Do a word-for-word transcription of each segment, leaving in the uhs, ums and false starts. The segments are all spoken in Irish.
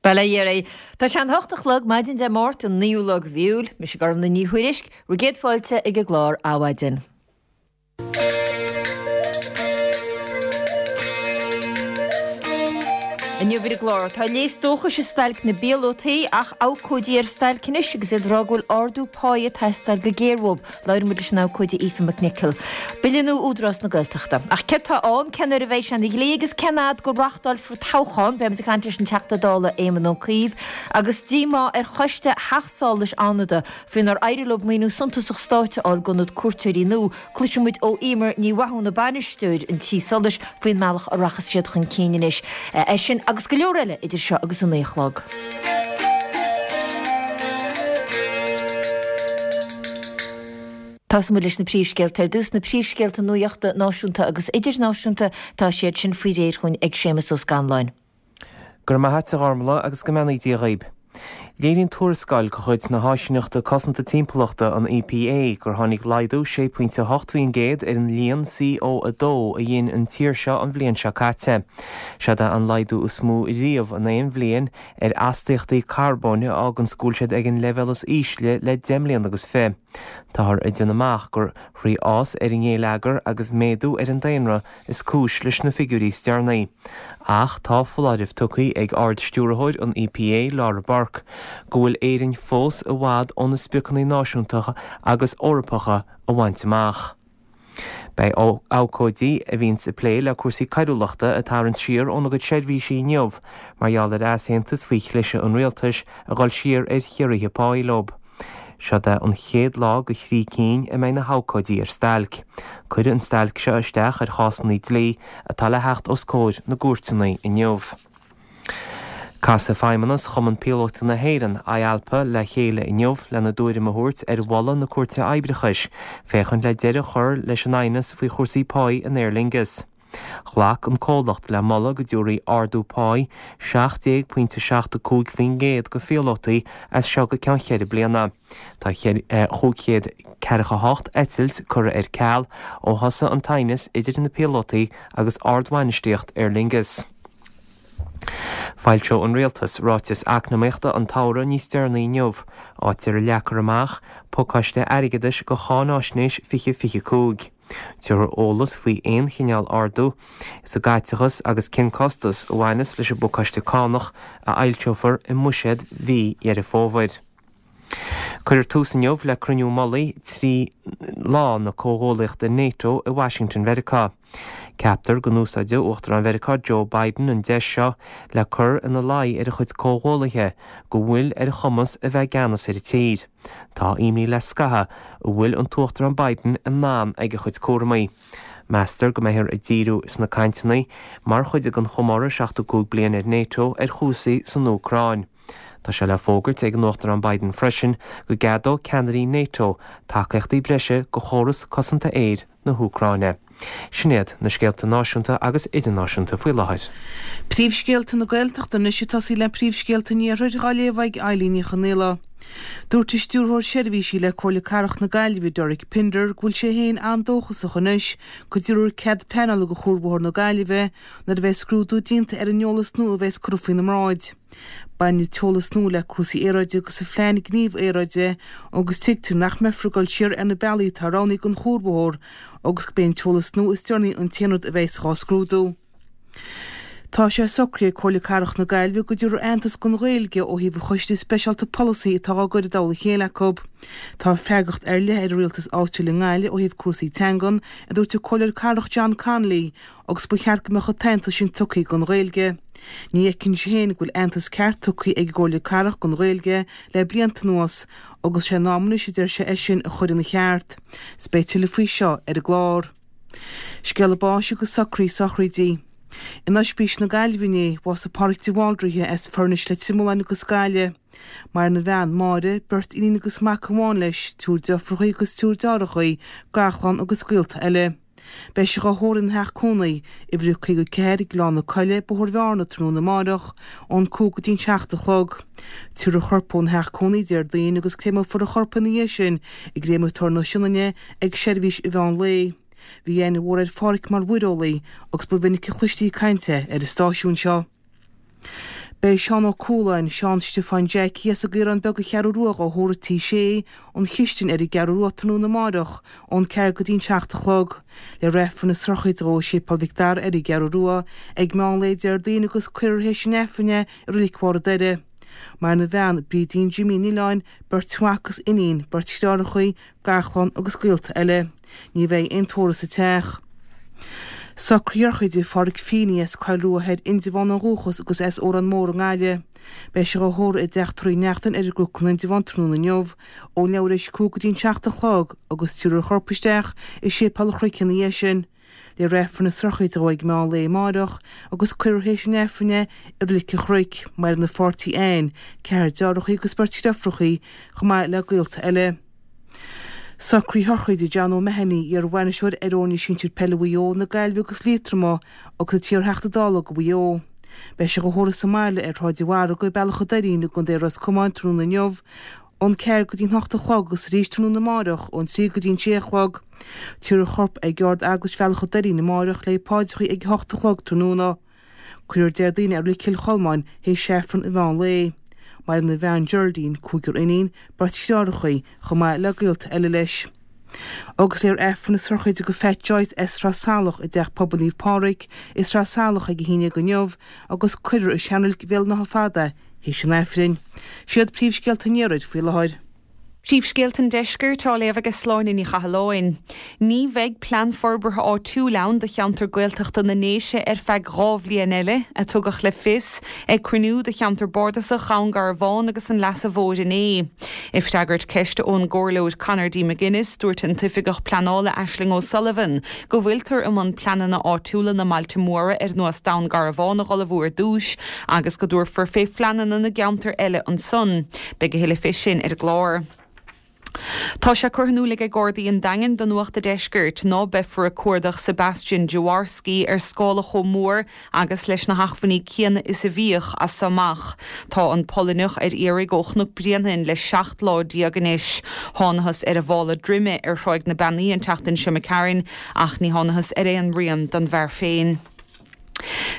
Bail ó Dhia oraibh. Tá sé an hocht a chlog maidin Dé Máirt an naoú lá de mhí Iúil. Mise Gormlaith Ní Thuairisg, bhur gcéad fáilte ag an gclár Adhmhaidin. Inniu ar an gclár, tá léas dóchais i stailc na bpíolótaí ach abhcóidí ar stailc anois agus iad ag rá go bhfuil ardú páí ag teastáil go géar uathu. Labhróidh muid leis an abhcóide Aoife McNicholl. Bille nua Údarás na Gaeltachta. Ach céard tá ann, cén uair a bheidh sé ina dhlí agus cén fhad go reáchtálfar toghchán? Beidh muid ag caint leis an Teachta Dála Éamon Ó Cuív agus díomá ar choiste Theach Solais Fhánada faoi nár éirigh leo maoiniú suntasach stáit a fháil d'ionad cuairteoirí nua. Cloisfidh muid ó Emer Ní Mhathúna, bainisteoir an tí solais, faoin mbealach a rachas siad chun cinn anois. É sin agus go leor eile idir seo agus a naoi a chlog. Tosóidh muid leis na príomhscéalta ar dtús, na príomhscéalta nuachta náisiúnta agus idirnáisiúnta, tá siad sin faoi réir chugainn ag Séamus Ó Scanláin. Go raibh maith a't a Ghormlaith agus go mbeannaí Dia dhaoib. Léiríonn tuarascáil de chuid na hÁisíneachta Cosanta Timpeallachta, an EPA, gur tháinig laghdú sé pointe a hocht faoin gcéad ar an líon C O a dó a ghin an tír seo an bhliain seo caite. Seod é an laghdú is mó riamh in aon bhliain ar astaíochtaí carbóin a fháganns go bhfuil siad ag an leibhéal is ísle le deich mbliana agus fiche. Táthar ag déanamh amach gur thrí fhás ar an ngéilleagar agus méadú ar an daonra is cúis leis na figiúirí is deireanaí. Ach tá foláireamh tugtha ag Ard-Stiúrthóir an E P A, Laura Burke, go bhfuil Éirinn fós i bhfad ó na spriocanna náisiúnta agus Eorpacha a bhaint amach. Beidh abhcóidí a bhíonns ag plé le cúrsaí coiriúlachta ag tarraingt siar óna gcuid seirbhísí inniu mar gheall ar easaontas faoi chliseadh an rialtais a dhul siar ar chiorruithe páí leo. Seod é an chéad lá go thrí cinn a mbeidh na habhcóidí ar stailc. Cuireadh an stailc seo isteach ar chásanna dlí atá le theacht os comhair na gcúirteanna inniu. Casfaidh Feidhmeannas Chumann Píolótaí na hÉireann, I A L P A, le chéile inniu lena dtuairim a thabhairt ar mholadh na Cúirte Oibreachais, féachaint le deireadh a chur leis an aighneas faoi chúrsaí páí in Aer Lingus. Ghlac an comhlacht le moladh go dtabharfaí ardú páí seacht déag pointe seacht a cúig faoin gcéad go phíolótaí as seo go ceann cheithre bliana. Tá chúig chéad ceathracha a hocht eitilt curtha ar ceal ó thosaigh an t-aighneas idir na píolótaí agus ardbhainistíocht Aer Lingus. Foilseoidh an Rialtas ráiteas eacnamaíochta an tsamhraidh níos deireanaí inniu, áit ar a leagfar amach pacáiste airgeadais go cháinaisnéis fiche fiche cúig. Tabharfar eolas faoi aon chineál ardú sa gcaiteachas agus cén costas a bhaineas leis an bpacáiste cánach a fhoilseofar i mbuiséad mhí Dheireadh Fómhair. Cuirfear tús inniu le cruinniú mullaigh trí lá na comhghuaillíochta NATO i Washington Mheiriceá. Ceaptar go n-úsáideadh Uachtarán Mheiriceá Joe Biden an deis seo le cur ina luí ar a chuid comhghuaillithe go bhfuil ar a chumas a bheith i gceannas ar an tír. Tá imní le scaitheamh an bhfuil an tUachtarán Biden in ann ag a chuid cúramaí. Meastar go mbeifear ag díriú sna cainteanna mar chuid den chomóradh seachtó cúig bliain ar NATO ar chúrsaí san Úcráin. Tá sé le fógairt ag an Uachtarán Biden freisin go gceadódh ceannairí NATO tacaíochtaí breise go chóras cosanta aeir na hÚcráine. Sin iad na scéalta náisiúnta agus idirnáisiúnta faoi láthair. Príomhscéalta na Gaeltachta anois ag tosaí le príomhscéalta an Iarthair á léamh ag Eilín Ní Chonghaile. Dúirt an stiúrthóir seirbhísí le Comhairle Cathrach na Gaillimhe Derek Pinder go bhfuil sé féin an-dóchasach anois go dtabharfar cead pleanála go Chuarbhóthar na Gaillimhe nuair a bheidh scrúdú déanta ar an eolas nua a bheas curtha faoina mbráid. Baineann an t-eolas nua le cúrsaí aeráide agus a phlean gníomh aeráide agus tuigtear nach mbeifear ag dul siar ar na bealaí atá roghnaithe don chuarbhóthar agus go mbeidh an t-eolas nua is deireanaí an t-aon rud a bheas á scrúdú. Tá sé socraithe ag Comhairle Cathrach na Gaillimhe go dtabharfar aitheantas don Ghaeilge ó thaobh an choiste speisialta polasaí atá á gcur i dtoll a chéile acu. Tá freagracht ar leith ar an rialtas áitiúil i nGaillimh ó thaobh cúrsaí teangan, a dúirt an Comhairleoir Cathrach John Connolly, agus ba cheart go mbeadh an t-aitheantas sin tugtha don Ghaeilge. Ní fheiceann sé féin go bhfuil aitheantas ceart tugtha ag an gComhairle Cathrach don Ghaeilge le blianta anuas, agus sé in am anois a deir sé é sin a chur ina cheart. Is beidh tuilleadh faoi seo ar an gclár. Scéala báis agus socraí sochraidí. In Oispís na Gaillimhe inné, bhásaigh Pádraig de Bhaldraithe as Foirnis Leitir Mealláin agus Gaillimh. Maireann a bhean, Máire, beirt iníon agus mac amháin leis, triúr deirfiúracha agus triúr deartháireacha, garchlann agus gaolta eile. Beidh sé á thórramh ina theach cónaí, uimhir a caoga ceathair, Gleann na Coille, Bóthar Bhearna, tráthnóna amárach, ón cúig go dtí an seacht a chlog. Tabharfar a chorp óna theach cónaí Déardaoin agus créameofar a chorp ina dhiaidh sin i gcréamatóir na Sionainne ag seirbhís an mheán lae. Bhí aithne mhór ar Phádhraic mar mhuireolaí agus ba mhinic a chloistí ag caint é ar an stáisiún seo. Beidh Seán Ó Cualáin, Seán Stiofáin Jackie as an gCaorán Beag an Cheathrú Rua dhá thórramh i Tigh Sé, an Chistin ar an gCeathrú Rua tráthnóna amáireach ón ceathair go dtí'n seacht a chlog. Léifear Aifreann na sochraide dhó i Séipéal Mhic Dara ar an gCeathrú Rua ag meán lae Déardaoin agus cuirfear théis an Aifrinn é i Reilig Bharr an Doire. Maireann a bhean, Brídín Jimí Ní Nialláin, beirt mhac agus iníon, beirt dheartháireacha, garchlann agus gaolta eile. Ní bheidh aon tórramh sa teach. Socruithe sochraide Pháraic Feeney as Coill Rua Thoir, Indreabhán ó dhúchas agus as Órán Mór i nGaillimh. Beidh sé dhá thórramh i dTeach Tórraimh Uí Neachtain ar an gCnoc in Indreabhán tráthnóna inniu, ón leathuair théis a cúig go dtí'n seacht a chlog agus tabharfar a chorp isteach i Séipéal an Chnoic ina dhiaidh sin. Léifear Aifreann na sochraide dhó ag meán lae amáireach agus cuirfear théis an Aifrinn é i Reilig an Chnoic. Maireann a pháirtí Anne, ceathrar deartháireacha agus beirt deirfiúracha, chomh maith le gaolta eile. Socruithe sochraide John O'Mahony, iar-bhainisteoir ar fhoirne sinsir peile Mhaigh Eo, na Gaillimhe agus Liatroma agus an t-iar-Theachta Dála do Mhaigh Eo. Beidh sé dhá thórramh sa mbaile ar Shráid an Mhargaidh, Bealach an Doirín i gContae Ros Comáin tráthnóna inniu ón ceathair go dtí'n hocht a chlog agus arís tráthnóna amáireach ón trí go dtí'n sé a chlog. Tabharfar a chorp ag Ard-Eaglais Bhealach an Doirín amáireach le paidreacha ag a hocht a chlog tráthnóna. Cuirfear Déardaoin é i Reilig Chill Cholmáin théis Aifreann an mheán lae. Maireann a bhean Geraldine, cúigear iníon, beirt dheartháireacha, chomh maith le gaolta eile leis. Agus léifear Aifreann na sochraide do Phat Joyce as Sraith Salach i dTeach Pobail Naomh Pádraig i Sraith Salach ag a haon déag inniu agus cuirfear i Seanreilig Bhéal an Átha Fada théis an Aifrinn. Siad príomhscéalta an iarthair faoi láthair. Príomhscéalta an Deiscirt á léamh ag Sláine Ní Chathalláin. Ní bheidh plean forbartha áitiúil ann do cheantar Gaeltachta na nDéise ar feadh dhá bhliain eile, a tugadh le fios ag cruinniú de cheantar bardasach Dhún Garbhán agus an Leasa Mhóir inné. I bhfreagairt ceiste ón gComhairleoir Conor D. McGuinness dúirt an tOifigeach Pleanála Aisling O'Sullivan go bhfuiltear i mbun pleananna áitiúla na mbailte móra ar nós Dún Garbhán a ullmhú ar dtús agus go dtabharfar fé phleananna na gceantar eile ansan. Beidh a thuilleadh fé sin ar an gclár. Tá sé curtha in iúl ag Gardaí an Daingin do Nuacht an Deiscirt ná beifear ag cuardach Sebastian Jaworski ar scála chomh mór agus leis na hacmhainní céanna is a bhíodh as seo amach. Tá an Polainneach ar iarraidh ó Chnoc Bréanainn le seacht lá déag anois. Thángthas ar a mhála droime ar Thráigh na Beannaí an tseachtain seo imigh tharainn ach ní thángthas ar aon rian den bhfear féin.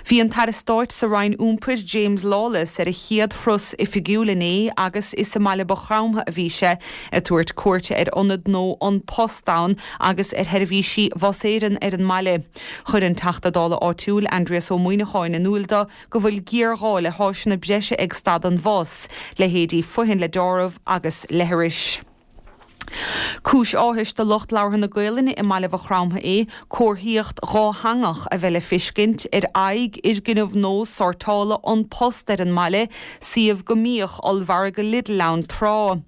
Bhí an tAire Stáit sa Roinn Iompair James Lawless ar a chéad thuras oifigiúil inné agus is i mBaile Mhaigh Chromtha a bhí sé ag tabhairt cuairte ar ionad nua An Post ann agus ar sheirbhísí Bhus Éireann ar an mbaile. Chuir an Teachta Dála áitiúil Aindrias Ó Muimhneacháin in iúl dó go bhfuil géarghá le háiseanna breise ag stad an bhus, leithéidí fothain le deáramh agus leithris. Cúis áthais do lucht labhartha na Gaolainne i mBaile Mhaigh Chromtha é comharthaíocht dhátheangach a bheith le feiscint ar aghaidh fhoirgneamh nua sórtála An Post ar an mbaile, suíomh go mbíodh ollmhargadh Lidl ann tráth.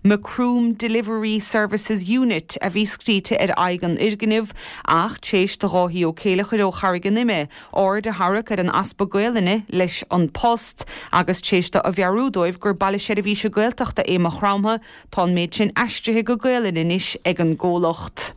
Macroom Delivery Services Unit a bhí scríte ar aghaidh an fhoirgnimh ach tar éis do Dháithí Ó Céilleachair ó Charraig an Ime aird a tharrac ar an easpa Gaolainne leis An Post agus tar éis dó a mheabhrú dóibh gur baile seirbhíse Gaeltachta é Maigh Chromtha, tá an méid sin aistrithe go Gaolainn anois ag an gcomhlacht.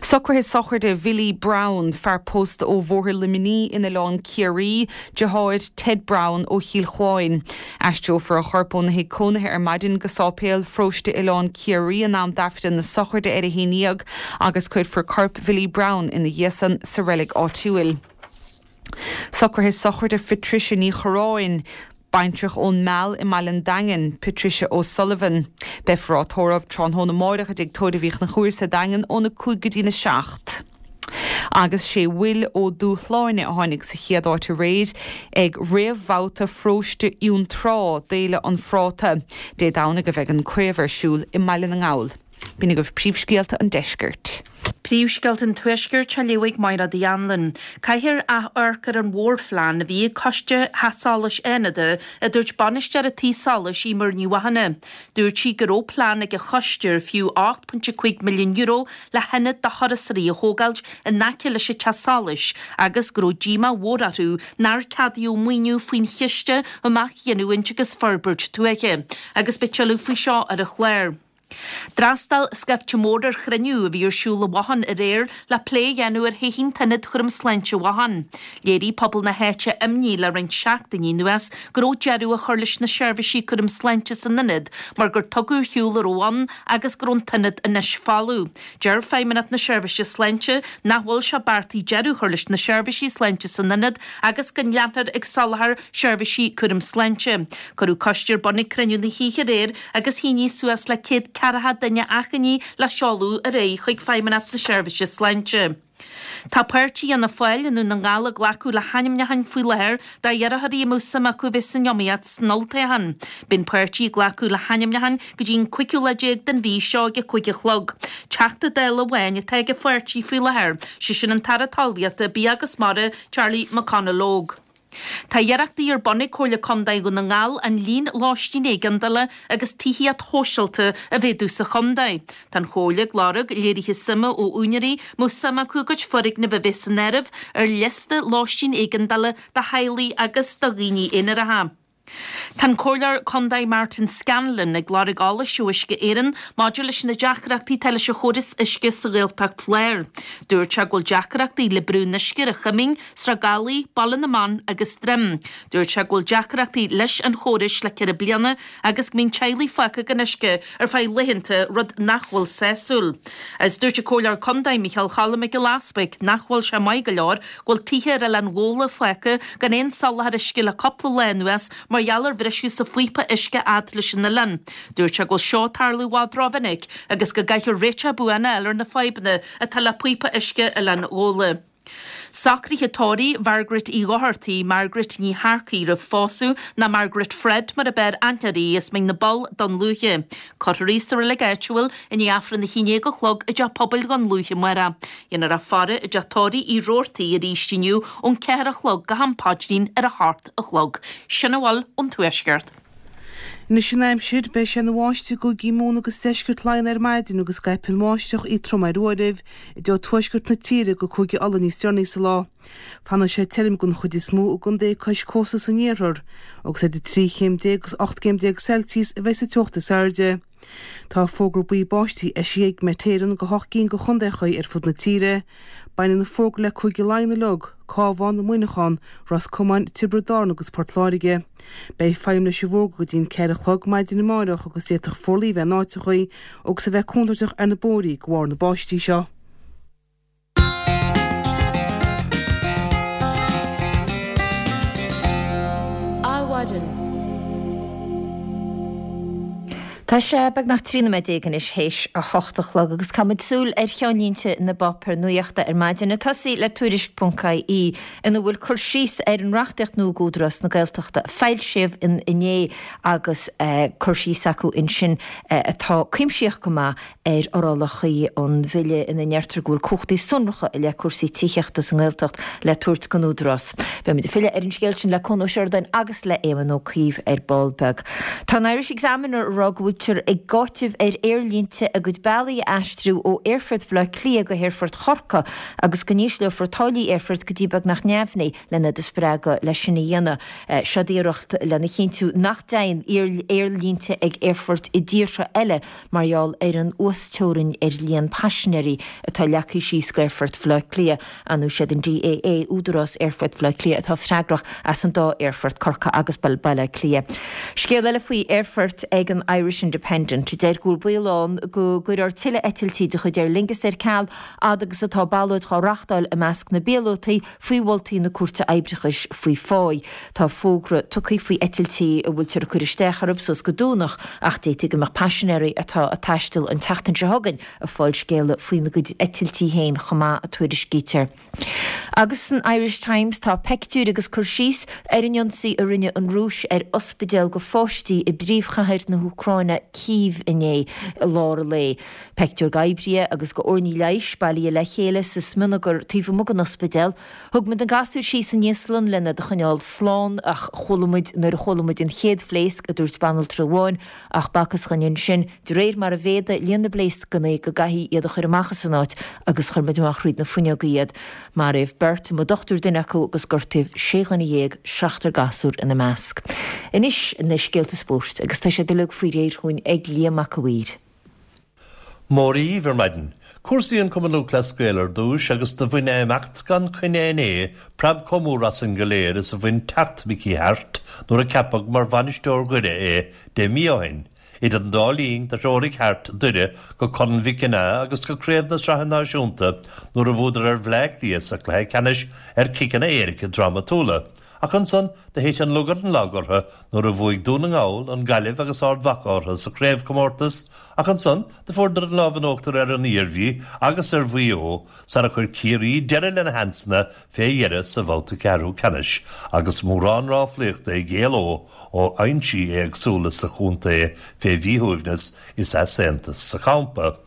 Socruithe sochraide Billy Brown, fear pósta ó Bhóthar Luimní in Oileán Ciarraí, deartháir Ted Brown ó Chill Chuáin. Aistreofar a chorp óna thigh cónaithe ar maidin go Sáipéal Pharóiste Oileán Ciarraí in am d'Aifreann na sochraide ar a haon déag agus cuirfear corp Billy Brown ina dhiaidh san sa reilig áitiúil. Socruithe sochraide Patricia Ní Choráin, Baintreach ón Meall i mBaile an Daingin, Patricia O'Sullivan. Beifear á tórramh tráthnóna amárach i dTigh Tórraimh Uí Chonchúir sa Daingean óna cúig go dtí na seacht. Agus sé Will Ó Dúshláine a tháinig sa chéad áit aréir ag réamhbhabhta pharóiste Fhionntrá d'Fhéile an Phráta. Dé Domhnaigh a bheidh an craobh ar siúl i mBaile na nGall. B'in agaibh príomhscéalta an deiscirt. Príomhscéalta an Tuaiscirt á léamh ag Máire Anlin. Caithfear amharc ar an mhórphlean a bhí ag Coiste Theach Solais Fhánada a dúirt bainisteoir an tí solais Emer Ní Mhathúna. Dúirt sí go raibh plean ag an choiste ar fiú ocht pointe cúig milliún euro le hionad do thurasóirí a thógáilt in aice leis an teach solais agus go raibh díomá mhór orthu nár ceadaíodh maoiniú faoin chiste um athghiniúint agus forbairt tuaithe. Agus beidh tuilleadh faoi seo ar an chlár. D'fhreastail scaifte mór ar chruinniú a bhí ar siúl i Mhachain aréir le plé a dhéanamh ar thodhchaí an t-ionad chúram sláinte Mhachain. Léirigh pobal na háite imní le roinnt seachtainí anuas go raibh deireadh á chur leis na seirbhísí cúram sláinte san ionad mar gur tugadh ar shiúl a raibh ann agus go raibh an t-ionad anois folamh. Deir Feidhmeannacht na Seirbhíse Sláinte nach bhfuil sé beartaithe deireadh a chur leis na seirbhísí sláinte san ionad agus go leanfar ag soláthar seirbhísí cúram sláinte. Cuireadh coiste ar bun ag cruinniú na hoíche aréir agus shínigh suas le céad ceathracha duine achainí le seoladh ar aghaidh chuig Feidhmeannacht na Seirbhíse Sláinte. Tá páirtí Fhianna Fáil i nDún na nGall ag glacadh le hainmneacháin faoi láthair d'iarrthóirí a mbeadh suim acu bheith san iomaíocht san olltoghchán. Beidh an páirtí ag glacadh le hainmneacháin go dtí an cúigiú lá déag den mhí seo ag a cúig a chlog. Teachta Dála amháin atá ag an pháirtí faoi láthair, sé sin an tAire Talmhaíochta, Bia agus Mara, Charlie McConalogue. Tá iarrachtaí ar bun ag Comhairle Contae Dhún na nGall an líon lóistín éigeandála agus tithíocht shóisialta a mhéadú sa chontae. Tá an Chomhairle ag lorg léirithe suime ó úinéirí a mbeadh suim acu a gcuid foirgneamh a bheith san áireamh ar liosta lóistín éigeandála do theaghlaigh agus do dhaoine aonaracha. Tá an Comhairleoir Contae Martin Scanlon ag lorg eolais ó Uisce Éireann maidir leis na deacrachtaí atá leis an chóras uisce sa Ghaeltacht Láir. Dúirt sé go bhfuil deacrachtaí le brú an uisce ar an Choimín, Srath Gabhlaí, Baile na mBan agus Droim. Dúirt sé go bhfuil deacrachtaí leis an chórais le ceithre bliana agus go mbíonn teaghlaigh fágtha gan uisce ar feadh laethanta, rud nach bhfuil sásúil. Agus dúirt an Comhairleoir Contae Micheál Cholm Mac Giolla Easbuig nach bhfuil sé maith go leor go bhfuil tithe ar Oileán Ghabhla fágtha gan aon soláthar uisce le cúpla lá anuas mar gheall ar bhriseadh sa phíopa uisce fhad leis an oileán. Dúirt sé go bhfuil seo ag tarlú i bhfad rómhinic agus go gcaithfear réiteach buan a fháil ar na fadhbanna atá le píopa uisce Oileán Ghabhla. Socruithe tórraimh Mhargaret Uí Dhochartaigh, Margaret Ní Shearcaigh roimh phósadh, ná Margaret Fred mar ab fhearr aithne uirthi, as Mín na bPoll, Dún Lúiche. Cuirfear í sa reilig áitiúil i ndiaidh Aifreann a haon déag a chlog i dteach pobail Dhún Lúiche amárach. Dhéanfar faire i dteach tórraimh Uí Robhartaigh arís inniu ón ceathair a chlog go ham paidrín ar a hocht a chlog. Sin a bhfuil ón Tuaisceart. Anois an aimsir, beidh sé ina bháisteach i gcúigí Mumhan agus deisceart Laighean ar maidin agus scaipfidh an bháisteach í trom ar uairibh i dtreo tuaisceart na tíre go Cúige Uladh níos deireanaí sa lá. Fanfaidh sé tirim den chuid is mó i gcontaetha cois cósta san iarthar agus idir trí chéim déag agus ocht gcéim déag Celsius a bheidh sa teocht is airde. Tá fógra buí báistí eisithe ag Met Éireann do hocht gcinn de chontaetha ar fud na tíre. Baineann an fógra le Cúige Laighean uilig, Cabhán, Muineachán, Ros Comáin, Tiobraid Árann agus Port Láirge. Beidh feidhm leis an bhfógra go dtí an ceathair a chlog maidin amárach agus d'fhéadfadh forluí a bheith in áiteachaí agus a bheith contúirteach ar na bóithrí de bharr na báistí seo. Adhmhaidin. Tá sé beagnach trí nóiméad déag anois théis a hocht a chlog agus caithfimid súil ar cheannlínte na bpáipéar nuachta ar maidin. Ag tosaí le Tuairisc ponc ie ina bhfuil cur síos ar an reachtaíocht nua d'Údarás na Gaeltachta a foilsíodh inné agus cur síos acu ansin atá cuimsitheach go maith ar fhorálacha an bhille ina ndeirtear go bhfuil cumhachtaí sonracha i leith cúrsaí tithíochta sa nGaeltacht le tabhairt don Údarás. Beimid ag filleadh ar an scéal sin le Conn Ó Seireadáin agus le Éamon Ó Cuív ar ball beag. Tá an Irish Examiner ag rá go bhfuiltear ag áiteamh ar aerlínte a gcuid bealaí a aistriú ó Aerfort Bhaile Átha Cliath go hAerfort Chorcaí agus go n-ísleofar táillí aerfoirt go dtí beagnach neamhní lena spreagadh leis sin a dhéanamh. Seo iarracht lena chinntiú nach dtéann aerlínte ag aerfoirt i dtíortha eile mar gheall ar an uasteorainn ar líon paisinéirí atá leagtha síos d'Aerfort Bhaile Átha Cliath. Ar ndóigh siad an DAA, Údarás Aerfort Bhaile Átha Cliath, atá freagrach as an dá aerfort, Corcaigh agus Baile Átha Cliath. Scéal eile faoi aerfoirt ag an Irish Independent, a deir go bhfuil baol ann go gcuirfear tuilleadh eitiltí de chuid Aer Lingus ar ceal fhad agus atá ballóid á reáchtáil i measc na bpíolótaí faoi mholtaí na Cúirte Oibreachais faoi phá. Tá fógra tugtha faoi eitiltí a bhfuiltear ag cur isteach orthu suas go Domhnach ach d'fhéadfadh go mbeadh paisinéirí atá ag taisteal an tseachtain seo chugainn ag fáil scéala faoina gcuid eitiltí féin chomh maith, a tuairiscítear. Agus san Irish Times tá peictiúir agus cur síos ar an ionsaí a rinne an Rúis ar ospidéal do pháistí i bpríomhchathair na hÚcráine, Cív, inné i lár an lae. Peictiúr d'oibrithe agus d'fhoirne leighis bailithe le chéile sa smionagar taobh amuigh den ospidéal. Thug muid na gasúir síos san íoslann lena iad a choinneáil slán ach chuala muid nuair a chuala muid an chéad phléasc, a dúirt banaltra amháin, ach b'fhacthas dhúinn ansin, de réir mar a mhéadaigh líon na bpléascanna, go gcaithfí iad a chur amach as an áit agus chuir muid amach thríd na fuinneoga iad. Maraíodh beirt, mo dhochtúir duine acu, agus gortaíodh sé dhuine dhéag, seachtar gasúr ina measc. Anois na scéalta spóirt agus tá siad uilig faoi réir chugainn ag Liam Mac a' Mhaoir. Mora dhaoibh ar maidin. Cúrsaí an Chumann Lúthchleas Gael ar dtús agus do bhain imeacht gan choinne inné preab chomh mór asainn go léir is a bhain teacht Mickey Harte nuair a ceapadh mar bhainisteoir Dhoire é deich mí ó shin. Idir an dá linn do threoraigh Harte Doire go Corn Mhic Cionnaith agus go Craobh na Sraithe Náisiúnta nuair a bhuadar ar Bhleá Cliath sa chluiche ceannais ar chiceanna éirice drámatúla. Ach ansan do thit an lug ar an lag orthu nuair a bhuaigh Dún na nGall, an Ghaillimh agus Ard Mhacha orthu sa chraobhchomórtas, ach ansan do fuaireadar an lámh in uachtar ar an Iarmhí agus ar Mhaigh Eo sara chuir Ciarraí deireadh lena sheansanna fé dheireadh sa bhabhta ceathrú ceannais agus mórán ráflaíochta ag éaló ó fhoinsí éagsúla sa chontae fé mhíshuaimhneas is easaontas sa champa.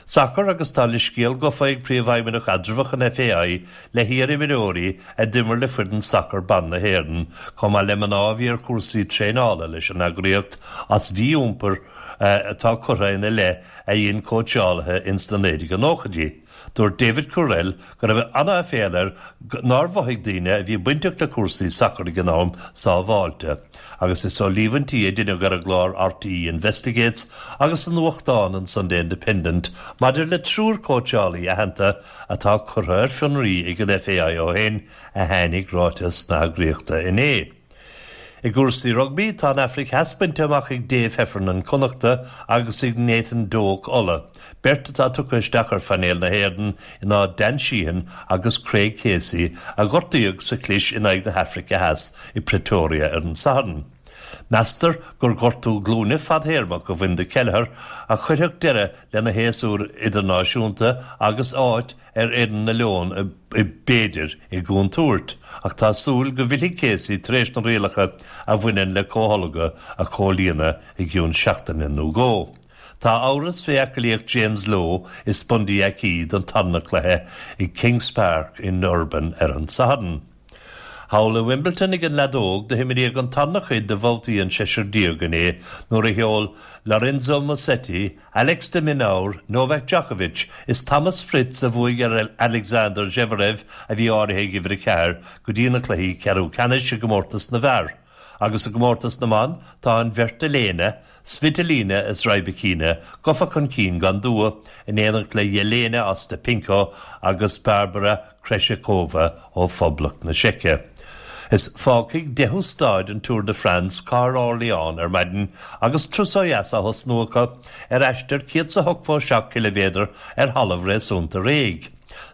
Sacar agus tá leithscéal gafa ag Príomhfheidhmeannach eatramhach an FAI le hiar-imreoirí a d'imir le foireann sacair ban na hÉireann, chomh maith le mná a bhí ar chúrsaí traenála leis an eagraíocht as mhí-iompar atá curtha ina leith a dhein cóitseálaithe ins na naoi déag nóchaidí. Dúirt David Courell go raibh an-aiféala air nár mhothaigh daoine a bhí bainteach le cúrsaí sacair ag an am sábháilte, agus is ó líomhaintí a deineadh ar an gclár RTÉ Investigates agus sa nuachtán an Sunday Independent maidir le triúr cóitseálaí aitheanta atá curtha ar fionraí ag an FAI ó shin a tháinig ráiteas na heagraíochta inné. I gcúrsaí rugbaí tá an Afraic Theas bainte amach ag Dave Heffernan Connachta agus ag Nathan Doak Uladh, beirt atá tugtha isteach ar phainéal na hÉireann in áit Dan Sheehan agus Craig Casey a gortaíodh sa chlis in aghaidh na hAfraice Theas i Pretoria ar an Satharn. Meastar gur gortú glúine fadthéarmach a bhain do Kelleher a chuirfeadh deireadh lena shéasúr idirnáisiúnta agus áit ar fhoireann na Leon b'fhéidir i gcontúirt, ach tá súil go bhfillfidh Casey tar éis na rialacha a bhaineann le comhtholgadh a chomhlíonadh i gcionn seachtaine nó dhó. Tá amhras fé aclaíocht James Lowe is Bundee Aki don tarna cluiche i Kings Park in Durban ar an Satharn. Thall i Wimbledon ag an leadóg do himríodh an tarna cuid de bhabhtaí an seisear déag inné nuair a sheol Lorenzo Musetti, Alex de Minaur, Novak Djokovic is Thomas Fritz a bhuaigh ar Alexander Zverev a bhí áirithe ag uimhir a ceathair go dtí na cluichí ceathrú ceannais i gcomórtas na bhfear. Agus i gcomórtas na mban tá an bheirt Elena, Svitolina is Rybakina gafa chun cinn gan dua in éineacht le Jelena Ostapenko agus Barbora Krejcikova ó Phoblacht na Seice. Is fágfaidh deichiú staid an Tour de France cathair Orléans ar maidin agus turas ó dheas á thosnú acu ar aistear céad is a hochtó seacht ciliméadar ar thalamh réasúnta réidh.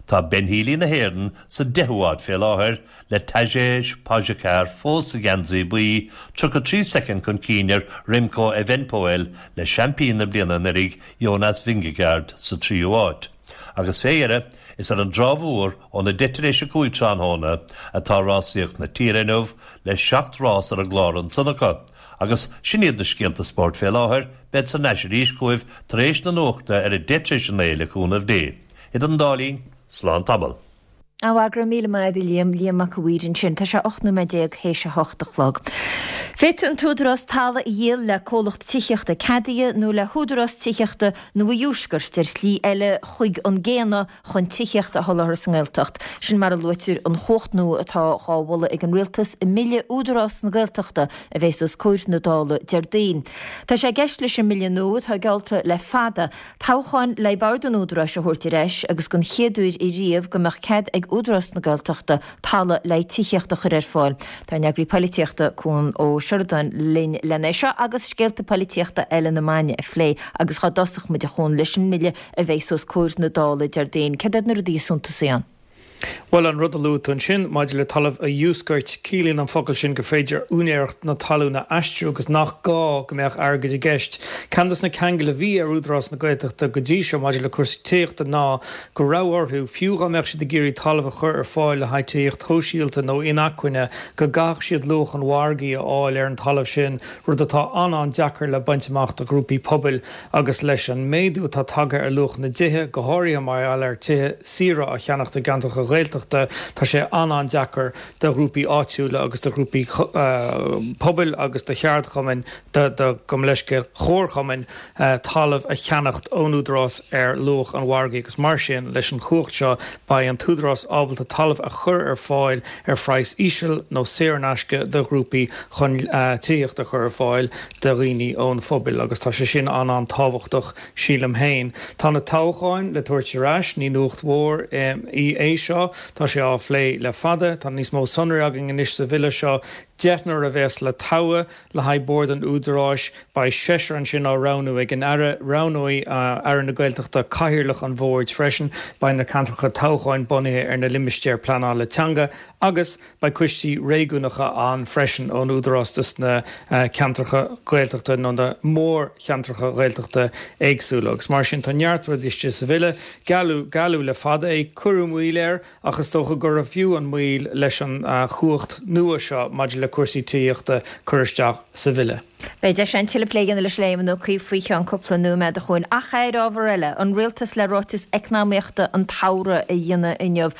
Tá Ben Healy na hÉireann sa deichiú háit fé láthair le Tadej Pogačar fós sa gheansaí buí tríocha trí soicind chun cinn ar Remco Evenepoel le seaimpín na bliana anuraidh Jonas Vingegaard sa tríú háit. Agus fé dheireadh, is ar an dTrá Mhór óna deich tar éis a cúig tráthnóna atá rásaíocht na tíre inniu le seacht rás ar an gclár ansan acu. Agus sin iad na scéalta spóirt fé láthair, bead thar n-ais arís chugaibh tar éis na nuachta ar a deich tar éis a naoi le cúnamh Dé. Idir an dá linn, slán tamall. Á go raibh míle maith agat a Liam, Liam Mac a' Mhaoir ansin. Tá sé ocht nóiméad déag théis a hocht a chlog. Féadfaidh an t-údarás talamh a dhíol le comhlacht tithíochta ceadaithe nó le húdarás tithíochta nó a dhiúscairt ar shlí eile chuig an gcéanna chun tithíocht a sholáthar sa nGaeltacht. Sin mar a luaitear an chumhacht nua atá dhá mholadh ag an Rialtas i mBille Údarás na Gaeltachta a bheas os comhair na Dála Déardaoin. Tá sé i gceist leis an mbille nua atá geallta le fada toghcháin le bord an Údaráis a thabhairt ar ais agus den chéad uair ariamh go mbeadh cead ag Údarás na Gaeltachta talamh le tithíocht a chur ar fáil. Tá an eagraí polaitíochta Cuan Ó Seireadáin linn lena seo agus scéalta polaitíochta eile na maidine a phlé agus dá dtosódh muid a Chuain leis an mbille a bheas os comhair na Dála Déardaoin. Cad iad na rudaí is suntasaí ann? Bhuel an rud a luaigh tú ansin maidir le talamh a dhiúscairt ciallaíonn an focal sin gur féidir úinéireacht na talún a aistriú agus nach gá go mbeadh airgead i gceist. Ceann de na ceanglais a bhí ar Údarás na Gaeltachta go dtí seo maidir le cúrsaí tithíochta ná go raibh orthu fiú dá mbeadh siad ag iarraidh talamh a chur ar fáil le haghaidh tithíocht shóisialta nó inacmhainne go gcaithfeadh siad luach an mhargaidh a fháil ar an talamh sin, rud atá an-an-deacair le baint amach do ghrúpaí pobail agus leis an méadú atá tagtha ar luach na dtithe go háirithe mar gheall ar tithe saora a cheannacht i gceantracha Ghaeltachta, tá sé an-an-deacair do ghrúpaí áitiúla agus do ghrúpaí pobail agus do cheardchumainn, do, gabh mo leithscéal, chomharchumainn talamh a cheannacht ón Údarás ar luach an mhargaidh agus mar sin leis an chumhacht seo beidh an tÚdarás ábalta talamh a chur ar fáil ar phraghas íseal nó saor in aisce do ghrúpaí chun tithíocht a chur ar fáil do dhaoine ón phobal agus tá sé sin an-an-tábhachtach sílim féin. Tá na toghcháin le tabhairt ar ais, ní nuacht mhór í é seo, tá sé á phlé le fada, tá níos mó sonraí againn anois sa bhille seo, deichniúr a bheas le toghadh le haghaidh Bord an Údaráis, beidh seisear ansin á roghnú ag an Aire, roghnóidh Aire na Gaeltachta cathaoirleach an bhoird freisin, beidh na ceantracha toghcháin bunaithe ar na limistéir pleanála teanga agus beidh coistí réigiúnacha ann freisin ón Údarás dos na ceantracha Gaeltachta nó na mórcheantracha Gaeltachta éagsúla agus mar sin tá neart rudaí istigh sa bhille. Gealladh, gealladh le fada é, cuireadh moill air ach is dócha gurbh fhiú an mhoill leis an chumhacht nua seo maidir le cúrsaí tithíochta cur isteach sa bhille. Beidh deis againn tuilleadh plé a dhéanamh leis le Éamon Ó Cuív faoi cheann cúpla nóiméad a Chuain. Ach ar ábhar eile, an rialtas le ráiteas eacnamaíochta an tsamhraidh a dhéanamh inniu.